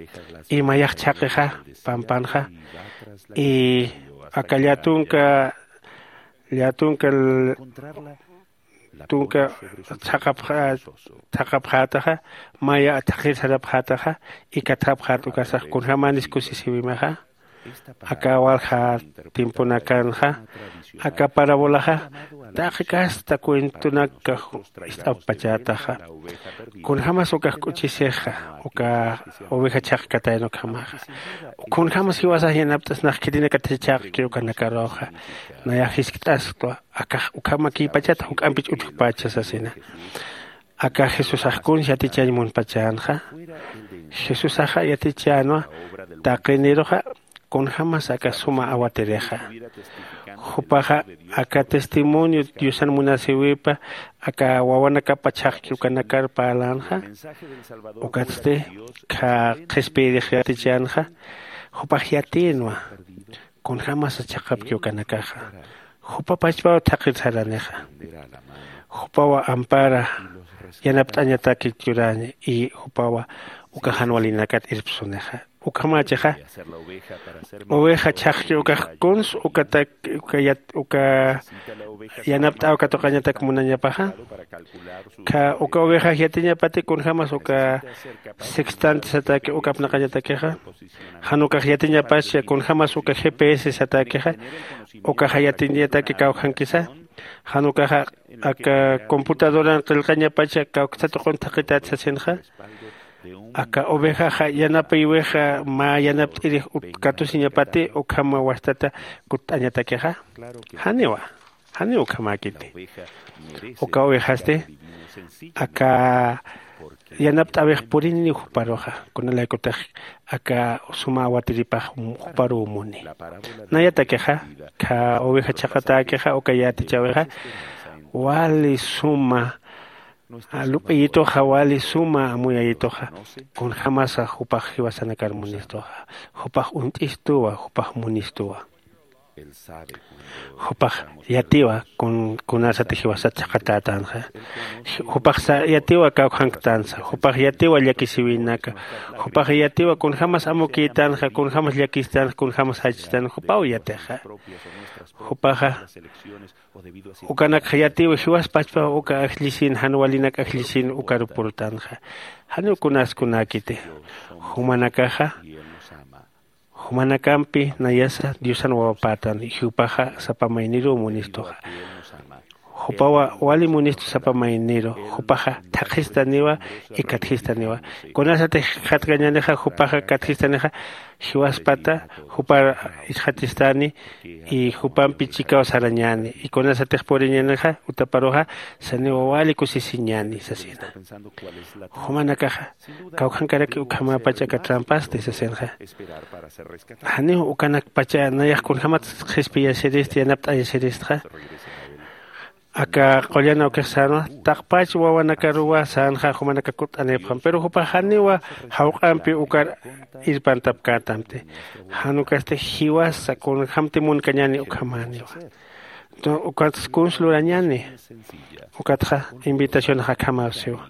imayax chhaqixa pampanxa. Y aka llatunka llatunka tunka thaqhapxätaxa maya thaqhir sarapxätaxa. Ikathapxät ukasax kunjämanis kusisiwimaxa. Aka walja tiemponakanxa aka parabolaxa taqi kasta cuentonakkax ist'apxpachätaxa. Kunjämas ukax k'uchisixa uka oveja chhaqkatayna ukhamaxa. Kunjämas jiwasax yanapt'asnax khitinakatix chhaqki ukanakaruxa nayax jiskt'asktwa. Akax ukhamakïpachata juk'ampich utjkpacha sasina. Aka jesusax kuns yatichañ munpachänxa. Jesusaxa yatichänwa taqiniruxa kunjämas aka suma awatirixa. Jupaxa aka testimonio diosan munasïwipa aka wawanakapa chhaqki ukanakar parlänxa. Ukatsti khä qhispiyirix yatichänxa. Jupax yatïnwa kunjämasa chhaqapki ukanakaxa. Jupa pachpaw thaqhir saranixa. Jupawa ampara yanapt'añataki churäña y jupawa uka jan walinakat irpsunixa. Ukhamächixa oveja chhaqki ukax kuns ukatak uka yanapt'äw katuqañatak munañapaxa. Khä uka ovejax yatiñapati kunjämas uka sextante sataki uk apnaqañatakixa. Jan ukax yatiñapascha kunjämas uka gps sataki ukaxa yatiñataki kawkhankisa. Jan ukaxa aka computadoran qillqañapacha kawksa tuqun thaqität sasinxa. Aka ovejaxa yanapïwixa mä yanapt'irix utkatusiñapati ukham wastata kutt'añatakixa. Janiwa. Janiw ukhamäkiti. Uka ovejasti aka yanapt'äwix purini juparuxa kunalaykutix aka suma awatiripax juparuw muni. Nayatakixa kha oveja chhaqatäkixa uka yätichäwixa wali suma lup'ayituxa wali suma amuyayituxa. Kunjämasa jupax jiwasanakar munistuxa. Jupax uñt'istuwa jupax munistuwa. Jupax yatiwa kunasati jiwasat chhaqatätanxa. Jupax yatiwa kawkhanktansa. Jupax yatiwa llakisiwinaka. Jupax yatiwa kunjämas amukïtanxa, kunjämas llakistanxa, kunjämas jachtan jupaw yatixa. Jupaxa ukanakxa yatiwa jiwas pachpaw uka ajllisin jan walinak ajllisin ukaru purtanxa. Janiw kunas kunäkiti. Jumanakaxa jumanakampi nayasa diosan wawapätan, jupaxa sapa mayniruw munistuxa. Jupawa wali munistu sapa mayniru. Jupaxa thaqhistaniwa ikatjistaniwa. Kunasatix jikxatkañänixa jupaxa katjistanixa jiwaspata jupar ichxatistani. Y jupampi chikaw sarañäni y kunasatix puriñänixa utaparuxa saniwa wali kusisiñäni sasina. Jumanakaxa kawkhankaraki ukhamäpach aka trampasti sasinxa. Janiw ukanakpacha nayax kunjämat qhispiyasirist yanapt'ayasiristxa. Aka qullan awkix sänwa taqpach wawanakaruwa sänxa jumanaka kutt'anipxam pero jupax janiwa jawq'ampi ukar irpantapkätamti. Jan ukasti jiwasa kunjämti munkañäni ukhamäniwa. Ukatsa kuns lurañäni. Ukatxa invitacionax akhamaw siwa.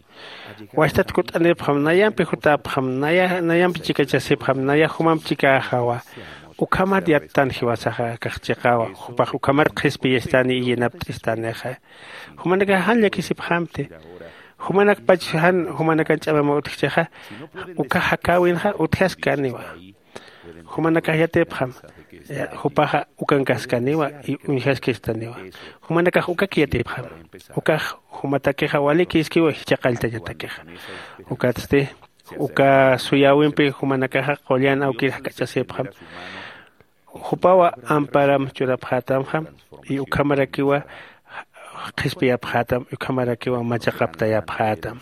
Wastat kutt'anipxam nayampi jutäpxam nayampi chikachasipxam nayax jumamp chikäxawa. Ukhamat yattan jiwasaxa akax chiqawa jupax ukhamat qhispiyastani iyanapt'istanixa. Jumanakax jan llakisipxamti. Jumanakpach jan jumanakan ch'amamaw utjchixa. Uka jakäwinxa utjaskaniwa. Jumanakax yatipxam. Jupaxa ukankaskaniwa y uñjaskistaniwa. Jumanakax ukak yatipxam. Ukax jumatakixa walikïskiwa jichha qalltañatakixa. Ukatsti uka suyäwimpi jumanakaxa qullan awkir jak'achasipxam. Jupawa amparam churapxätamxam. Y ukhamarakiwa qhispiyapxätam ukhamarakiwa machaqaptayapxätam.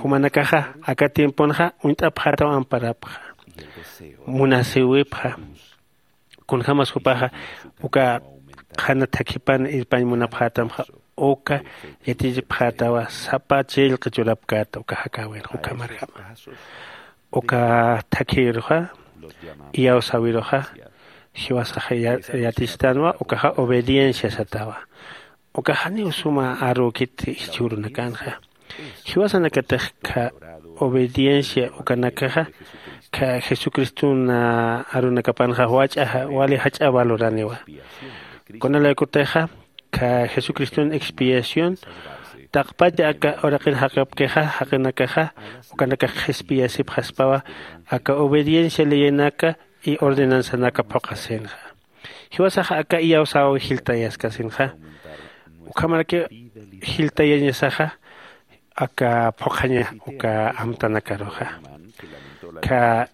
Jumanakaxa aka tiemponxa uñt'apxätam amparapxa. Munasïwipxa. Kunjämas jupaxa uka qhana thakhipan irpañ munapxätamxa uka yatichipxätawa sapa chillqi churapkäta uka jakäwinxa ukhamarjama. Uka thakhïruxa iyawsäwiruxa jiwasaxa yatistanwa ukaxa obediencia satawa. Ukax janiw suma arükit jichhürunakanxa. Jiwasanakatix kha obediencia ukanakaxa kha jesucristun arunakapanxa wach'a wali jach'a valoraniwa. Kunalaykutixa kha jesucristun expiación taqpacha aka uraqir jaqipkixa jaqinakaxa ukanakax qhispiyasipxaspawa aka obediencia leyenaka y ordenanzanaka phuqhasinxa. Jiwasaxa aka iyawsäwi jiltayaskasinxa. Ukhamarakiw jiltayañasaxa aka phuqhaña uka amtanakaruxa. Kha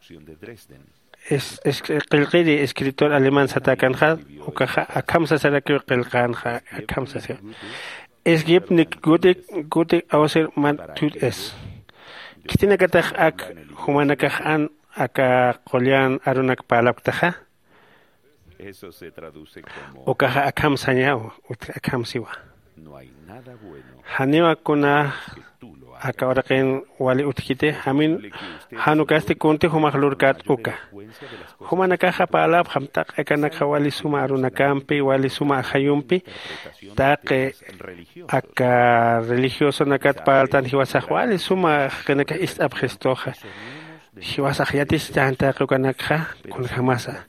qillqiri escritor alemán satäkanxa ukaxa akham sasarakiw qillqänxa. Akham sasiwa es gibt nik gutik gutik awsir man tut es. Khitinakatax ak jumanakax an aka qullan arunak parlapktaxa. Ukaxa akham sañaw. Akham siwa. Janiwa kuna aka uraqin wali utjkiti jamin. Jan ukasti kunti jumax lurkät uka jumanakaxa parlapxam taqi akanakxa wali suma arunakampi wali suma ajayumpi taqi aka religiosonakat parltan jiwasax wali suma jaqinakax ist'apxistuxa. Jiwasax yatichtan taqi ukanakxa kunjämasa.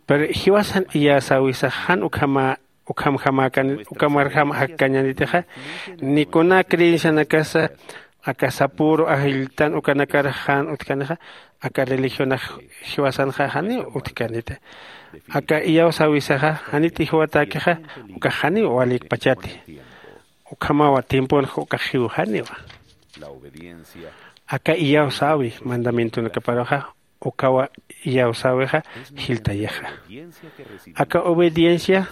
Pero jiwasan iyäsäwisax jan ukhama ukhamjamäkan ukamarjam jakkañänitixa. Ni kuna creencianakasa aka sapüru ajlltan ukanakar jan utjkanixa aka religionax jiwasanxa janiw utjkaniti. Aka iyawsäwisaxa janit ijwatäkixa ukax janiw walikpachati. Ukhamawa tiemponxa ukax jiwjaniwa. Aka iyawsäwi mandamientonakaparuxa ukawa iyawsäwixa jiltayixa. Aka obediencia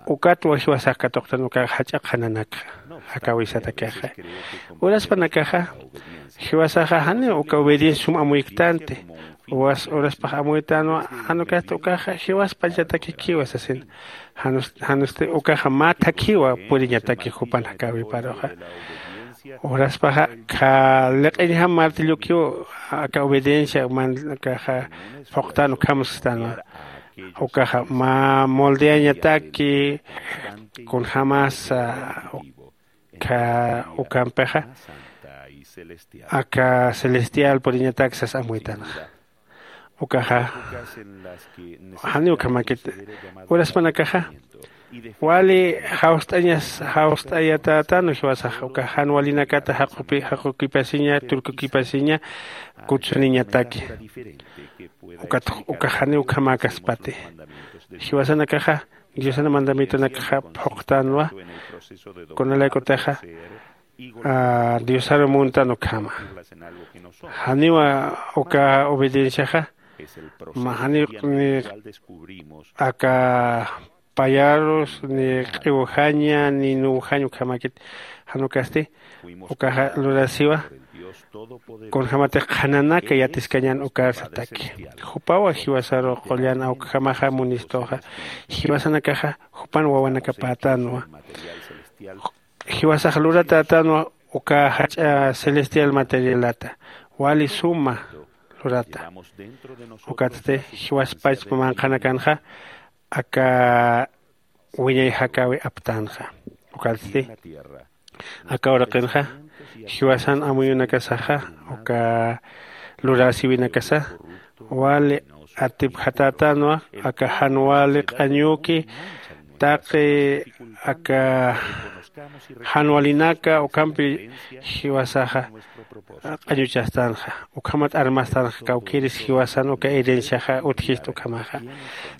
ukatwa jiwasax katuqtan uka jach'a qhananakxa. Jakäwisatakixa uraspanakaxa jiwasaxa janiw uka obediencia sum amuyktanti. Uraspax amuytanwa jan ukasti ukaxa jiwaspachatakikiwa sasin. Janusti ukaxa mä thakhiwa puriñataki jupan jakäwiparuxa. Uraspaxa kha liq'iñjam martillokiw aka obediencia mankaxa phuqtan ukham sistanwa. Ukaxa mä moldeañataki kunjämasa ukha ukampixa aka celestial puriñatak sas amuytanxa. Ukaxa janiw ukhamakit uraspanakaxa wali jawst'añas jawst'ayatätanu jiwasaxa uka jan walinakata jaqupi jaqukipasiña turkukipasiña kutsuniñataki. Ukat ukax janiw ukhamäkaspati jiwasanakaxa diosana mandamientonakaxa phuqtänwa. Kunalaykutixa diosaru muntan ukhama janiwa uka obedienciaxa mä janiw ni aka payarus ni q'iwjaña ni nuwjañ ukhamakit. Jan ukasti ukaxa lurasiwa kunjämatix qhananaka yatiskañän ukar sataki. Jupawa jiwasaru qullan awkjamaxa munistuxa jiwasanakaxa jupan wawanakapätanwa. Jiwasax luratätanwa uka jach'a celestial materialata wali suma lurata. Ukatsti jiwaspachpa manqhanakanxa aka wiñay jakäwi aptanxa. Ukatsti aka uraqinxa jiwasan amuyunakasaxa uka luräsiwinakasa wali atipjatätanwa aka jan wali q'añuki taqi aka jan walinaka ukampi jiwasaxa q'añuchastanxa ukhamat armastanxa kawkïris jiwasan uka herenciaxa utjist ukhamaxa.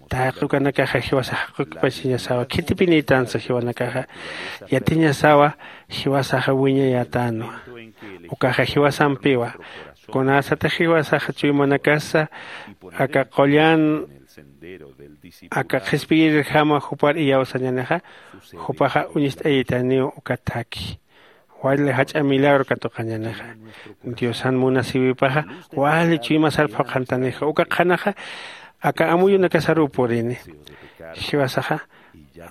Taqi ukanakaxa jiwasax jaqukipasiñasawa khitipinïtansa jiwanakaxa yatiñasawa jiwasaxa wiñayätänwa. Ukaxa jiwasampiwa kunasatix jiwasaxa chuymanakasa aka qullan aka qhispiyirirjama jupar iyawsañänixa jupaxa uñist'ayaytaniw uka thakhi wali jach'a milagro katuqañänixa. Diosan munasïwipaxa wali chuymasar phuqhantanixa uka qhanaxa aka amuyunakasaruw purini. Jiwasaxa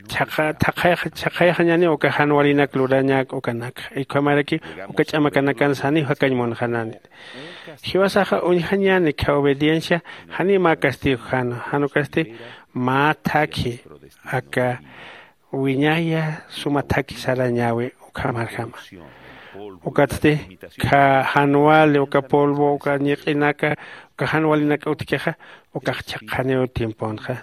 chhaqayaxañäniw uka jan walinak lurañak ukanakxa ukhamaraki uka ch'amakanakan saniw jakañ munxanani. Jiwasaxa uñjañäni kha obediencia janiw mä castigo jana jan ukasti mä thakhi aka wiñaya suma thakhi sarañäwi ukhamarjama. Ukatsti kha jan wali uka polvo uka ñiq'inaka uka jan walinak utjkixa ukax chhaqaniw tiemponxa.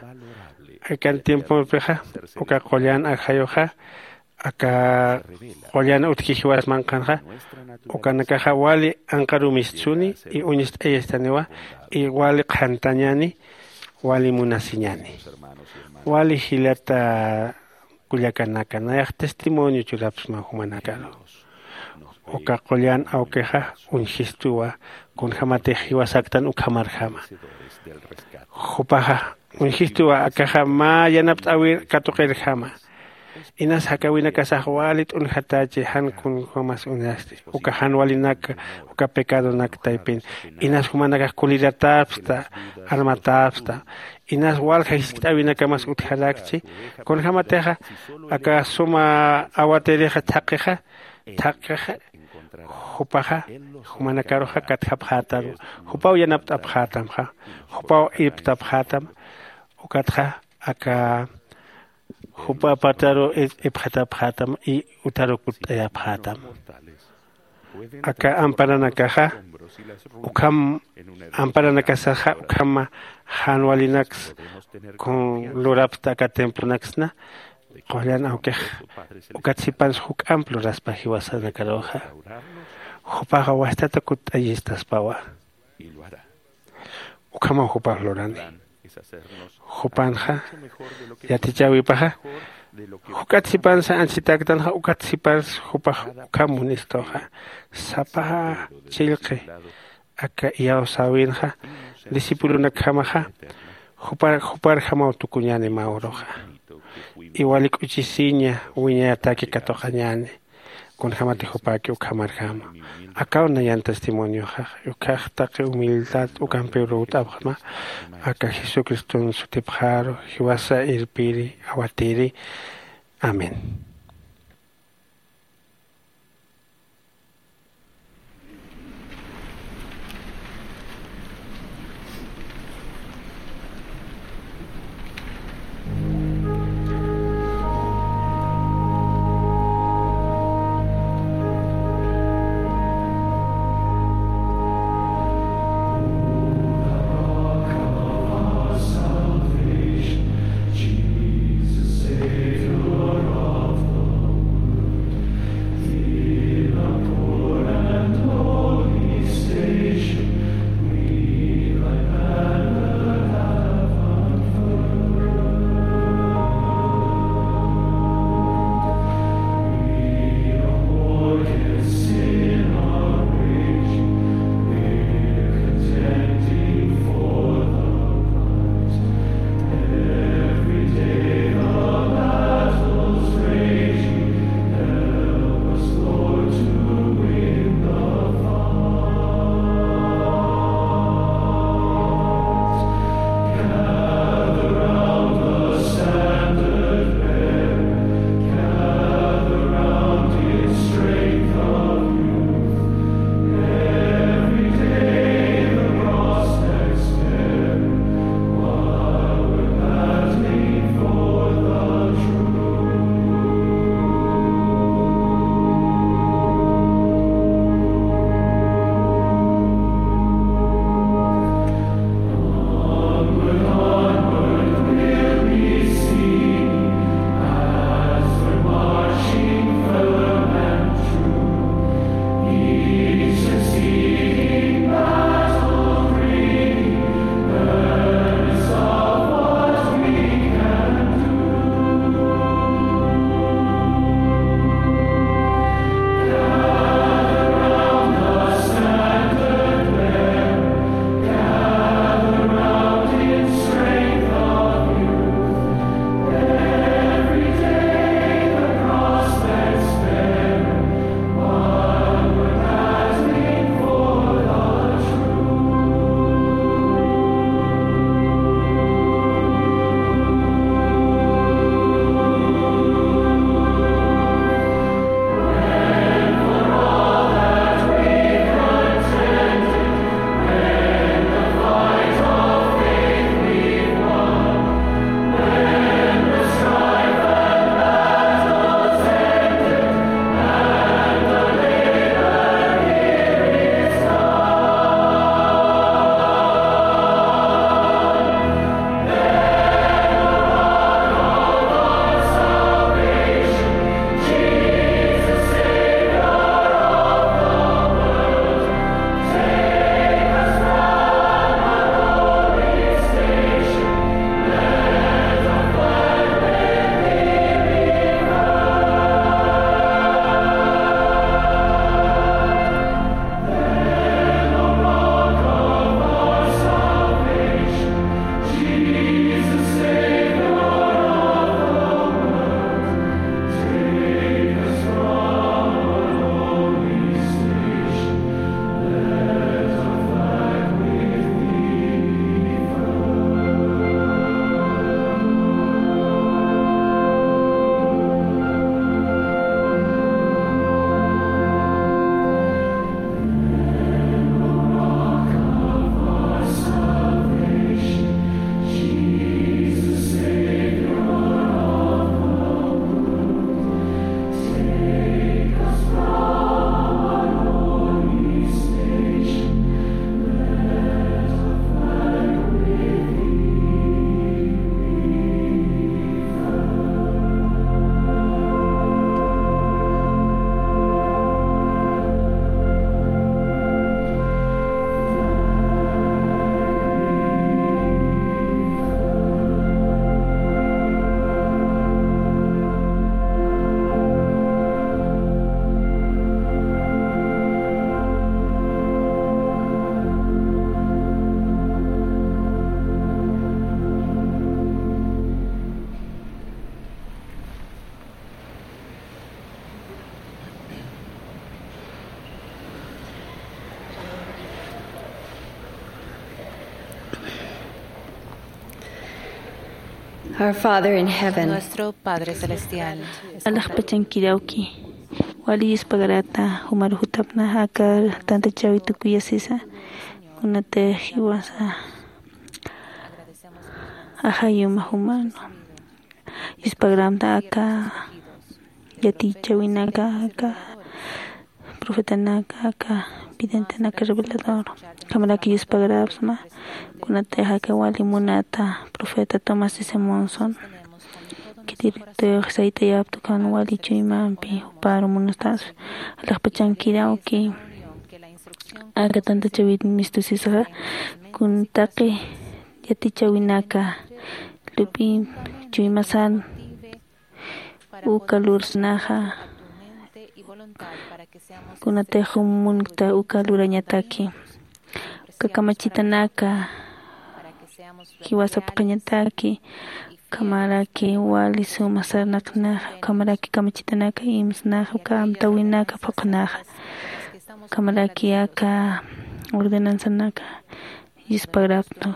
Akan tiemponpixa uka qullan ajayuxa aka qullan utji jiwas manqhanxa ukanakaxa wali anqaru mistsuni y uñist'ayastaniwa y wali qhantañäni wali munasiñäni. Wali jilata kullakanaka nayax testimonio churapsma jumanakaru uka qullan awkixa uñjistuwa kunjämatix jiwasaktan ukhamarjama. Jupaxa uñjistuwa akaxa mä yanapt'äwir katuqirjama. Inas jakawinakasax wali t'unjatächi jan kunjämas uñasti uka jan walinak uka pecadonak taypin. Inas jumanakax kuliratäpsta armatäpsta inas walja jiskt'äwinakamas utjarakchi. Kunjämatixa aka suma awatirixa thaqixa thaqixa jupaxa jumanakaruxa katjapxätam jupaw yanapt'apxätamxa jupaw irptapxätam. Ukatxa aka jupa apartaru ipxatapxätam y utaru kutt'ayapxätam. Aka amparanakaxa ukham amparanakasaxa ukhama jan walinaks kun lurapsta aka templonaksna qullan awkix ukat sipans juk'amp luraspa jiwasanakaruxa. Jupaxa wastata kutt'añistaspawa. Ukhamaw jupax lurani. Jupanxa yatichäwipaxa juk'at sipansa anchitäktanxa ukat sipans jupax ukham munistuxa. Sapa chillqi aka iyawsäwinxa discipulonakjamaxa jupar juparjamaw tukuñäni mä uruxa. Iwali k'uchisiña wiñayataki katuqañäni. Kunjämati jupäki ukhamarjama. Akaw nayan testimonioxax ukhax taqi humildad ukampiw lurt'apxma. Aka jesucriston sutipxaru jiwasa irpiri awatiri. Amén. Our Father in heaven. Nuestro Padre Celestial. Alaxpachankirauki. Wali yuspagarata jumar jutapna aka tantachawi tukuyasisa. Kunatix jiwasa ajayuma jumano. Yuspagramta aka yatichawinaka aka profetanaka aka videntenaka revelador. Ukhamaraki yuspagrapsma kunatix aka wali munata profeta Thomas S. Monson. Khitirtix saytayapta ukan wali chuymampi juparu munastas. Alaxpachankirawki aka tantachawit mistusisxa kun taqi yatichawinaka lup'in chuymasan uka lursnaxa kunatix jumunkta uka lurañataki uka kamachitanaka jiwasapxañataki ukhamaraki wali suma sarnaqnaxa ukhamaraki kamachitanaka imsnaxa uka amtawinaka phuqhnaxa ukhamaraki aka ordenanzanaka yuspagrapxtu.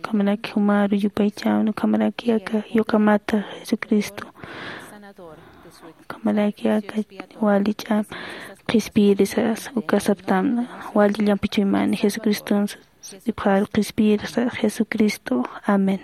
Ukhamaraki jumaru yupaychäwna ukhamaraki aka yuqamata Jesucristo. Ukhamaraki aka wali ch'am qhispiyirisa uka saptamna wali llampi chuymani Jesucriston sipxaru qhispiyirisa Jesucristo. Amén.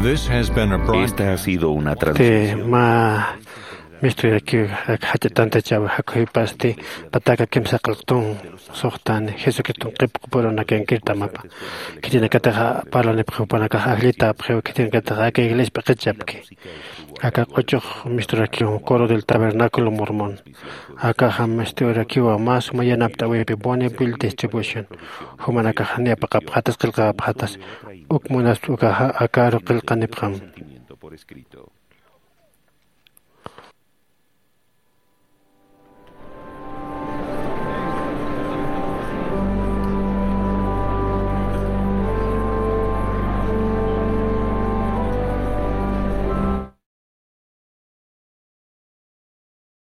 This has been a broad- Esta ha sido una transmisión. Mä misturakiw jach'a tantachawi jakhuypasti pataka kimsa qillqtun suxtani Jesucriston qillqapurunakankirtamapa. Khitinakatix parlanipxi jupanakax ajllitäpxiw khitinakatix aka iglesia p'iqichapki. Aka q'uchux misturakiw Coro del Tabernáculo Mormón. Akaxa misturakiwa mä suma yanapt'äwipi Bonneville Distribution. Jumanakax niya paqapxatas qillqapxatas. Uk munaspa ukaxa akaru qillqanipxam.